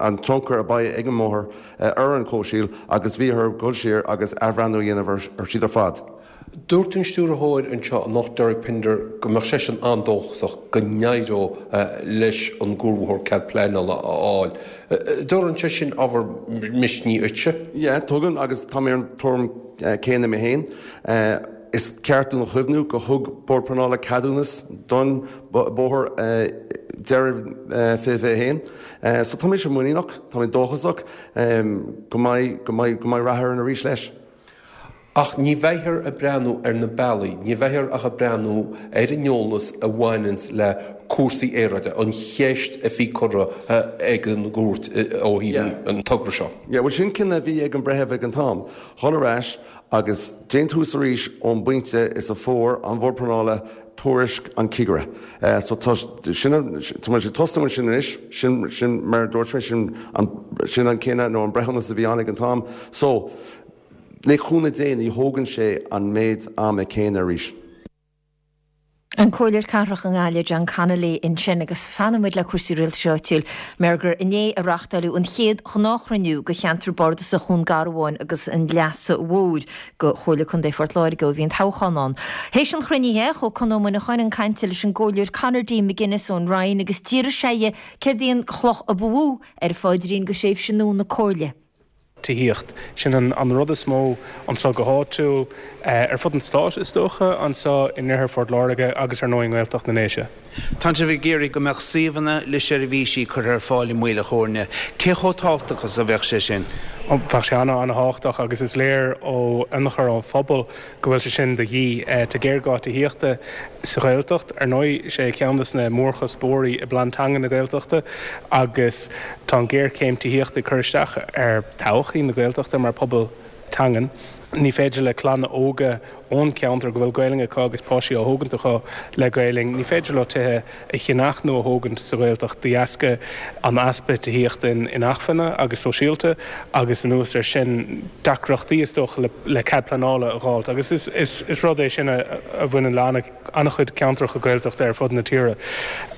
an tionchar a bheidh ag an mbóthar ar an chomhshaol agus bhí orthu dul siar agus athbhreithniú a dhéanamh ar siad ar fad. Dúirt an stiúrthóir anseo anocht, Derek Pinder, go mbeadh seisean an-dóchasach go n-éireodh leis an gcuarbhóthar cead pleanála a fháil. Dtabharann sé sin ábhar misnigh duitse? Yeah, tugann, agus tá mé ar an tuairim céanna mé féin. Is ceart dúinn a chuimhniú go thug Bord Pleanála ceadúnas don bóthar deireadh fiche fiche a haon. So tá mise muiníneach, tá mé dóchasach go mbeidh go mbeidh go mbeidh rath orainn arís leis. Ach ní bheifear ag breathnú ar na bealaí, ní bheifear ach ag breathnú ar an eolas a bhaineanns le cúrsaí aeráide, an cheist a bhí curtha ag an gcúirt ó thaobh an togra seo. Yeah, bhuel sin cinneadh a bhí ag an breitheamh ag an t-am, dhul ar ais agus déan tús arís ón bpointe is a fuair an Bord Pleanála tuairisc an chigire. So tá sin, tá muid ag tosnú ansin anois, sin, sin mar a dúirt mé, sin an, sin an cinneadh nó an breithiúnas a bhí ann ag an t-am. So, Le cúnamh Dé ní thógann sé an méid ama céanna arís. An Comhairleoir Cathrach i nGaillimh, John Connolly ansin agus fanfaidh muid le cúrsaí rialtais áitiúil mar gur inné a reáchtáileadh an chéad ghnáthchruinniú do cheantar bardasach Dhún Garbháin agus an Leasa Mhóir do Chomhairle Contae Phort Láirge ó bhí an toghchán ann. Théis an chruinnithe, chuaigh Conn Ó Muineacháin chun cainte leis an gComhairleoir Conor D. McGuinness ón Rinn agus d'fhiafraigh sé dhe céard í an chloch a ba mhó ar a phaidrín do thréimhse nua na Comhairle. tithíocht. Sin an rud is mó anseo go háitiúil, ar fud an stáit is dócha, anseo in oirthear Phort Láirge agus ar ndóigh i nGaeltacht na nDéise. Tá sibh ag iarraidh go mbeadh suíomhanna le seirbhísí curtha ar fáil i Maoil a' Chóirne. Cé chomh tábhachtach is a bheadh sé sin? Bheadh sé an-an-thábhachtach agus is léir ó ionchur ón phobal go bhfuil sé sin de dhíth. Tá géarghá tithíochta sa Ghaeltacht, ar ndóigh, sé ceann de na mórchuspóirí i bPlean Teanga na Gaeltachta agus tá an ghéarchéim tithíochta ag cur isteach ar thodhchaí na Gaeltachta mar phobal teangan. Ní féidir le clanna óga ón cheantar go bhfuil Gaelainn acu agus páistí á thógaint acu le Gaelainn, ní féidir leo tithe a cheannach nó a thógaint sa Ghaeltacht de dheasca an easpa tithíochta inacmhainne agus sóisialta agus anuas air sin deacrachtaí is dócha le cead pleanála a dh'fháilt agus is rud é sin a bhaineann le an-chuid ceantracha Gaeltachta ar fud na tíre.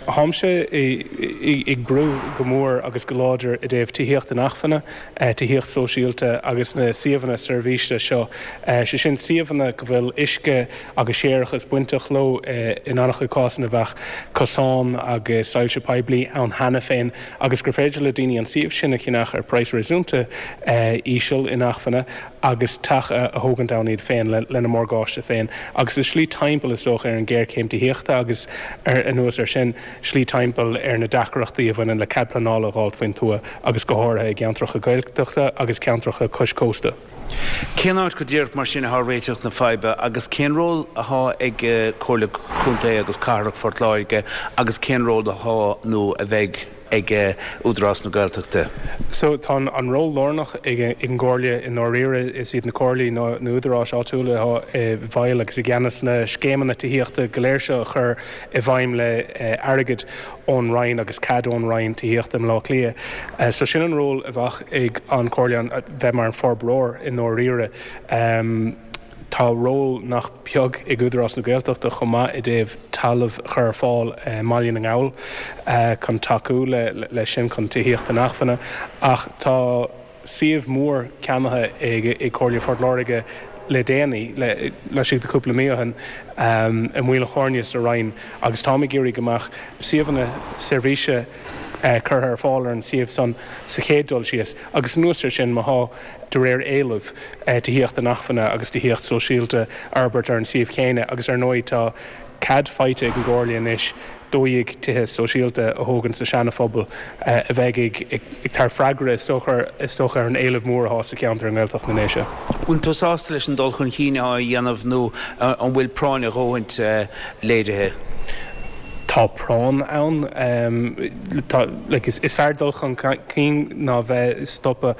Táimse ag brú go mór agus go láidir i dtaobh tithíocht inacmhainne, tithíocht sóisialta agus na suíomhanna seirbhíse seo, sé sin suíomhanna go bhfuil uisce agus séarachas bainteach leo, in an-chuid cásanna bheadh cosáin agus soilse poiblí ann cheana féin agus gur féidir le daoine an suíomh sin a cheannach ar praghas réasúnta íseal, inacmhainne agus teach a thógaint ann iad féin lena morgáiste féin agus is slí timpeall is dócha ar an ghéarchéim tithíochta agus anuas air sin slí timpeall ar na deacrachtaí a bhaineann le cead pleanála a dh'fháilt faoin tuath agus go háirithe i gceantracha Gaeltachta agus ceantracha cois cósta. Cén áit go díreach mar sin atá réiteach na faidhbe agus cén ról atá ag Comhairle Contae agus Cathrach Phort Láirge agus cén ról atá nó a bheidh ag Údarás na Gaeltachta? So tá an ról lárnach ag an gComhairle i ndáiríre. Is iad na comhairlí nó na údaráis áitiúla atá i bhfeighil agus i gceannas na scéimeanna tithíochta go léir seo a chur i bhfeidhm le airgead ón Roinn agus cead ón Roinn Tithíochta i mBleá Cliath. So sin an ról a bheadh ag an Chomhairle, bheith mar an forbróir i ndáiríre. Tá ról nach beag ag Údarás na Gaeltachta chomh maith i dtaobh talamh a chur ar fáil i mBaile na nGall chun tacú leis sin, chun tithíocht inacmhainne. Ach tá suíomh mór ceannaithe ag Comhairle Phort Láirge le déanaí, laistigh de chúpla mí ó shin, i Maoil an Choirne sa Rinn agus táim ag iarraidh go mbeadh suíomhanna seirbhíse curtha ar fáil ar an suíomh san sa chéad dul síos agus anuas air sin má thá, de réir éilimh, tithíocht inacmhainne agus tithíocht sóisialta a fhorbairt ar an suíomh chéanna agus ar ndóigh tá cead faighte ag an gComhairle anois dó dhéag tithe sóisialta a thógaint sa Seana-Phobal a bheidh ag tabhairt freagra is dócha is dócha ar an éileamh mór atá sa cheantar i nGaeltacht na nDéise. Bhfuil tú sásta leis an dul chun cinn atá á dhéanamh nó an bhfuil práinn a dhóthaint léirithe? Tá práinn ann. Tá, like, is fearr dul chun cinn ná bheith stoptha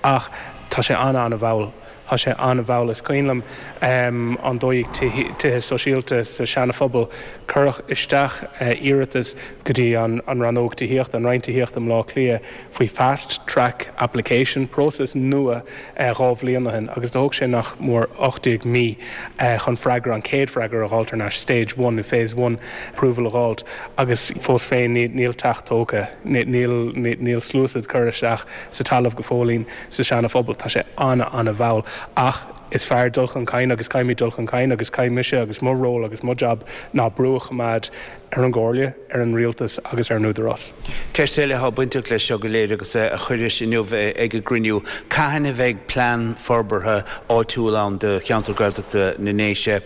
ach tá sé an-an-mhall. Tá sé an-mhall. Is cuimhin liom an dó dhéag tithe sóisialta sa Seana-Phobal. Cuireadh isteach iarratas go dtí an Rannóg Tithíochta, an Roinn Tithíochta i mBleá Cliath faoi fast track application, próiseas nua dhá bhliain ó shin agus do thóg sé nach mór ocht déag mí chun freagra, an chéad freagra a dh'fháilt thar n-ais, stage one nó phase one approval a dh'fháilt agus fós féin níl teach tógtha, níl níl sluasaid curtha isteach sa talamh go fóillín sa Seana-Phobal. Tá sé an-an-mhall ach is fearr dul chun cinn agus caithfimid dul chun cinn agus caithfidh mise agus mo ról agus mo jab ná brú a choimeád ar an gComhairle, ar an Rialtas agus ar an Údarás. Ceist eile atá bainteach leis seo go léir agus a chuiris inniu ag an gcruinniú, cathain a bheidh plean forbartha áitiúil ann do cheantar Gaeltachta na nDéise?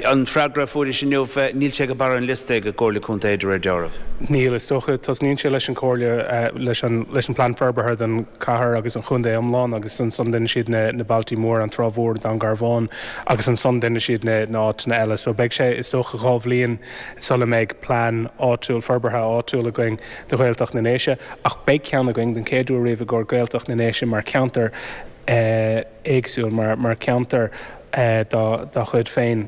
An freagra a fuairis inniu, níl sé ag barr an liosta ag an gComhairle Contae de réir dealraimh. Níl, is dócha. Tosnaíonn sé leis an Chomhairle, leis an leis an bplean forbartha don chathair agus an chontae iomlán agus ansan déanann siad na na bailtí móra, an Trá Mhór, Dún Garbhán agus ansan déanann siad na na áiteanna eile. So beidh sé, is dócha, dhá bhliain sula mbeidh plean áitiúil, forbartha áitiúil againn do Ghaeltacht na nDéise ach beidh ceann againn den chéad uair riamh i gcomhair Gaeltacht na nDéise mar cheantar éagsúil, mar mar cheantar dá dá chuid féin.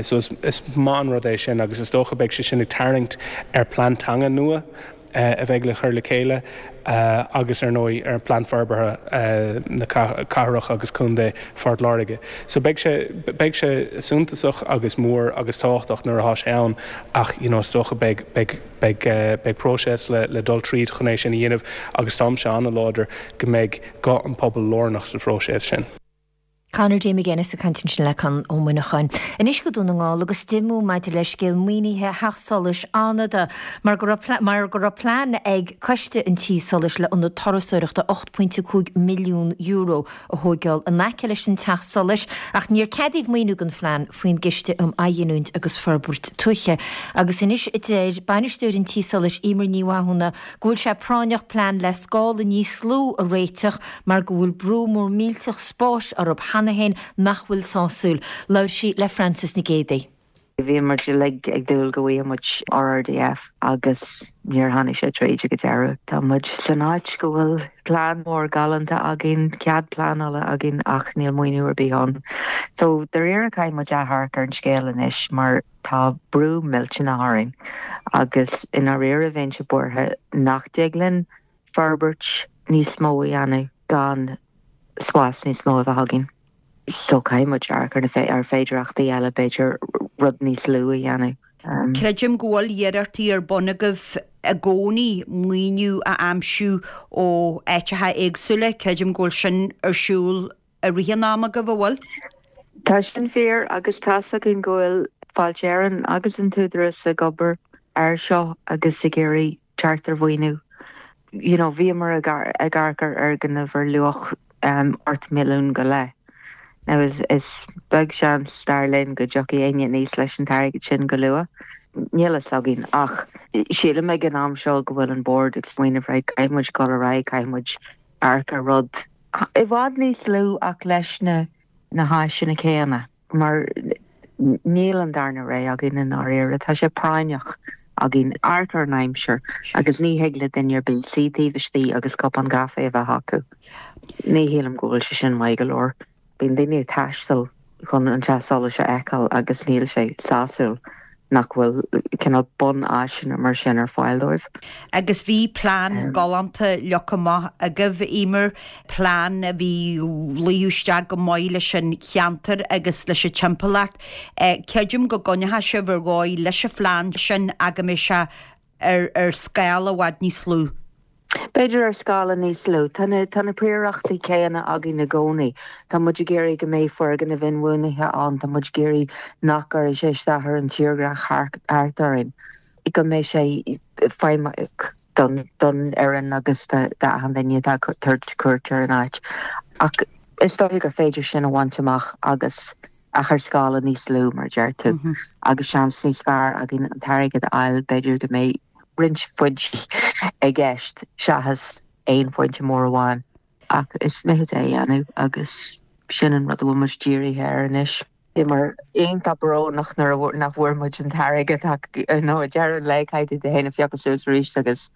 So is is maith an rud é sin agus is dócha beidh sé sin ag tarraingt ar plean teanga nua a bheidh le cur le chéile agus ar ndóigh ar plean forbartha na cathrach agus contae Phort Láirge. So beidh sé beidh sé suntasach agus mór agus tábhachtach nuair atá sé ann ach you know is dócha beidh beidh beidh beidh próiseas le le dul tríd chun é sin a dhéanamh agus táimse an-láidir go mbeidh guth an pobail lárnach sa phróiseas sin. Conor D. McGuinness ag caint ansin le Conn Ó Muineacháin. Anois go Dún na nGall agus díomá maidir le scéal maoinithe Theach Solais Fhánada mar go raibh mar go raibh plean ag Coiste an Tí Solais le ionad turasóireachta ocht pointe cúig milliún euro a thóigeáil in aice leis an Teach Solais ach níor ceadaíodh maoiniú don phlean faoin gCiste um Athghiniúint agus Forbairt Tuaithe. Agus anois deir bainisteoir an Tí Solais Emer Ní Mhathúna go bhfuil sé práinneach plean le scála níos lú a réiteach mar go bhfuil brú mór millteach spáis orthu cheana féin nach bhfuil sásúil. Labhair sí le Frances Nic Géadaigh. Bhí muid uilig ag dúil go bhfaigheadh muid R R D F agus níor tháinig sé tríd ag an deireadh. Tá muid san áit go bhfuil plean mór galánta againn, cead pleanála againn ach níl maoiniú ar bith ann. So dáiríre caithfidh muid amharc ar an scéal anois mar tá brú millteanach orainn agus i ndáiríre bheinnse buartha nach dtig linn forbairt níos mó a dhéanamh gan spás níos mó a bheith againn. So caithfidh muid amharc ar na ar féidearthachtaí eile b'fhéidir rud níos lú a dhéanamh. Creidim go bhfuil iarrachtaí ar bun agaibh i gcónaí maoiniú a aimsiú ó áiteacha éagsúla, creidim go bhfuil sin ar siúl i rith an ama agaibh, an bhfuil? Tá sin fíor agus tá's againn go bhfuil Fáilte Éireann agus an tÚdarás ag obair air seo agus ag iarraidh teacht ar mhaoiniú. You know, bhíomar ag amharc ar fhoirgneamh ar luach ocht milliún go leith. Now is is beag seans dar linn go dtiocfaidh éinne aníos leis an t-airgead sin go luath. Níl a fhios againn ach sílim ag an am seo go bhfuil an bord ag smaoineamh right caithfidh muid dul ar aghaidh, caithfidh muid amharc ar rud i bhfad níos lú ach leis na na háiseanna céanna mar níl an darna rogha againn i ndáiríre. Tá sé práinneach againn amharc ar an aimsir agus ní thig le duine ar bith suí taobh istigh agus cupán caife a bheith acu. Ní shílim go bhfuil sé sin maith go leor. Bíonn daoine ag taisteal chun an teach solais a fheiceáil agus níl sé sásúil nach bhfuil cineál bunáiseanna mar sin ar fáil dóibh. Agus bhí plean galánta leagtha amach agaibh, Emer, plean a bhí luíodh isteach go maith leis an cheantar agus leis an timpeallacht. Creidim go gcoinneoidh sibh ar dhóigh leis an phlean sin ach go mbeidh sé ar ar scála i bhfad níos lú. B'fhéidir ar scála níos lú. Tá na tá na príorachtaí céanna againn i gcónaí. Tá muid ag iarraidh go mbeidh foirgnimh inbhuanaithe ann, tá muid ag iarraidh nach gcuirfidh sé isteach ar an tírdhreach thart orainn, go mbeidh sé feidhmeach don don fhoireann agus d'achan duine atá ag tabhairt cuairt ar an áit. Ach is dóigh gur féidir sin a bhaint amach agus ach ar scála níos lú, mar a deir tú, agus seans níos fearr againn an t-airgead a fháil, b'fhéidir go mbeidh roinnt foinsí i gceist seachas aon fhoinse mór amháin. Ach is mithid é a dhéanamh agus sin an rud a bhfuil muid dírithe air anois. Bhíomar iontach brónach nuair nach bhfuair muid an t-airgead ach nó ag deireadh an lae caithfidh tú féin a phiocadh suas arís agus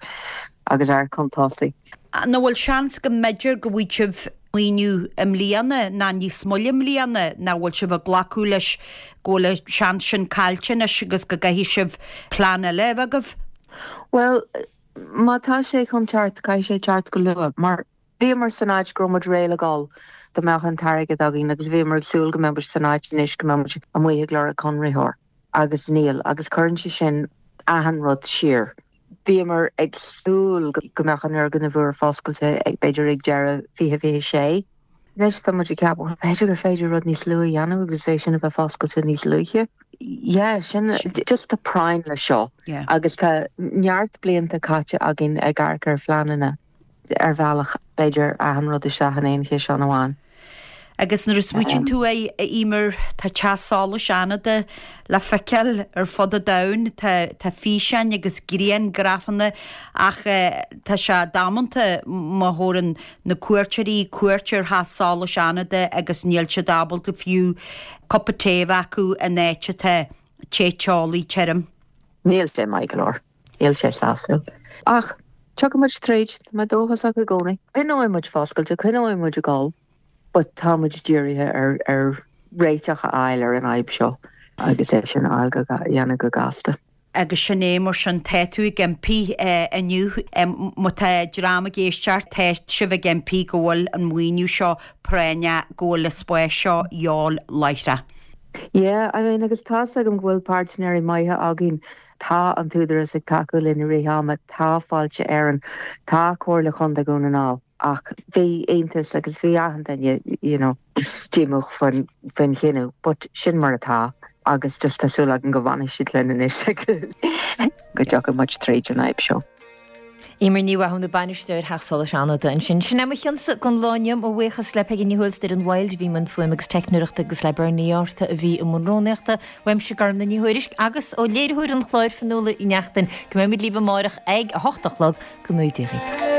agus amharc chun tosaigh. An bhfuil seans go mb'fhéidir go bhfaighidh sibh maoiniú i mbliana ná níos moille i mbliana nó bhfuil sibh ag glacadh leis go bhfuil an seans sin caillte anois agus go gcaithfidh sibh plean eile a bheith agaibh? Bhuel, má tá sé chun teacht, caithfidh sé teacht go luath, mar bhíomar san áit go raibh muid réidh le dhul dá mbeadh an t-airgead againn agus bhíomar ag súil go mbeadh muid san áit anois go mbeadh muid amuigh ag lorg conraitheoir agus níl agus cuireann sé sin achan rud siar. Bhíomar ag súil go mbeadh an fhoirgneamh úr foscailte ag b'fhéidir ag deireadh fiche fiche sé. Anois tá muid ag ceapadh bhuel b'fhéidir gur féidir rud níos luaithe a dhéanamh agus é sin a bheith foscailte níos luaithe. Yeah, sin just tá práinn le seo agus tá neart blianta caite againn ag amharc ar phleananna. ar bhealach, b'fhéidir, achan rud isteach in aon chiseán amháin. Agus nuair a smaoitíonn tú air, a Emer, tá teach solais Fhánada le feiceáil ar fud an domhain, tá tá físeáin agus grianghrafanna ach tá sé damanta má thabharann na cuairteoirí cuairt ar theach solais Fhánada agus níl siad ábalta fiú cupa tae a bheith acu in áit atá te teolaí tirim. Níl sé maith go leor. Níl sé sásúil. Ach tiocfaidh muid tríd, tá mé dóchasach i gcónaí. Coinneoidh muid foscailte, coinneoidh muid ag dul, but tá muid dírithe ar ar réiteach a fháil ar an fhadhb seo agus é sin a fháil go dhéanamh go gasta. Agus sin é, mar sin, tá tú ag impí inniu, má tá dream ag éisteacht, tá sibh ag impí go bhfuil an maoiniú seo práinneach, go bhfuil an spás seo a dhíobháil láithreach. Yeah, I mean, agus tá's agam go bhfuil páirtnéirí maithe againn, tá an tÚdarás ag tacú linn i rith ama, tá Fáilte Éireann, tá Comhairle Chontae Dhún na nGall, ach bhí iontas agus bhí achan duine, you know, díomách faoin faoin chinneadh, but sin mar atá agus just tá súil agam go bhfanfaidh siad linn anois agus go dtiocfaidh muid tríd an fhadhb seo. Emer Ní Mhathúna, Bainisteoir Theach Solais Fhánada ansin. Sin é mo chionsa don lá inniu. Mo bhuíochas le Peigí Ní Thuathail ar an Wild a bhí i mbun fuaime agus teicneoireachta agus le Bernie Uí Fhátharta a bhí i mbun rúnaíochta. Uaimse Gormlaith Ní Thuairisg agus ó léiritheoir an chláir Fionnuala Uí Neachtain go mbeimid libh amárach ag a hocht a chlog go mbeidh Dia libh.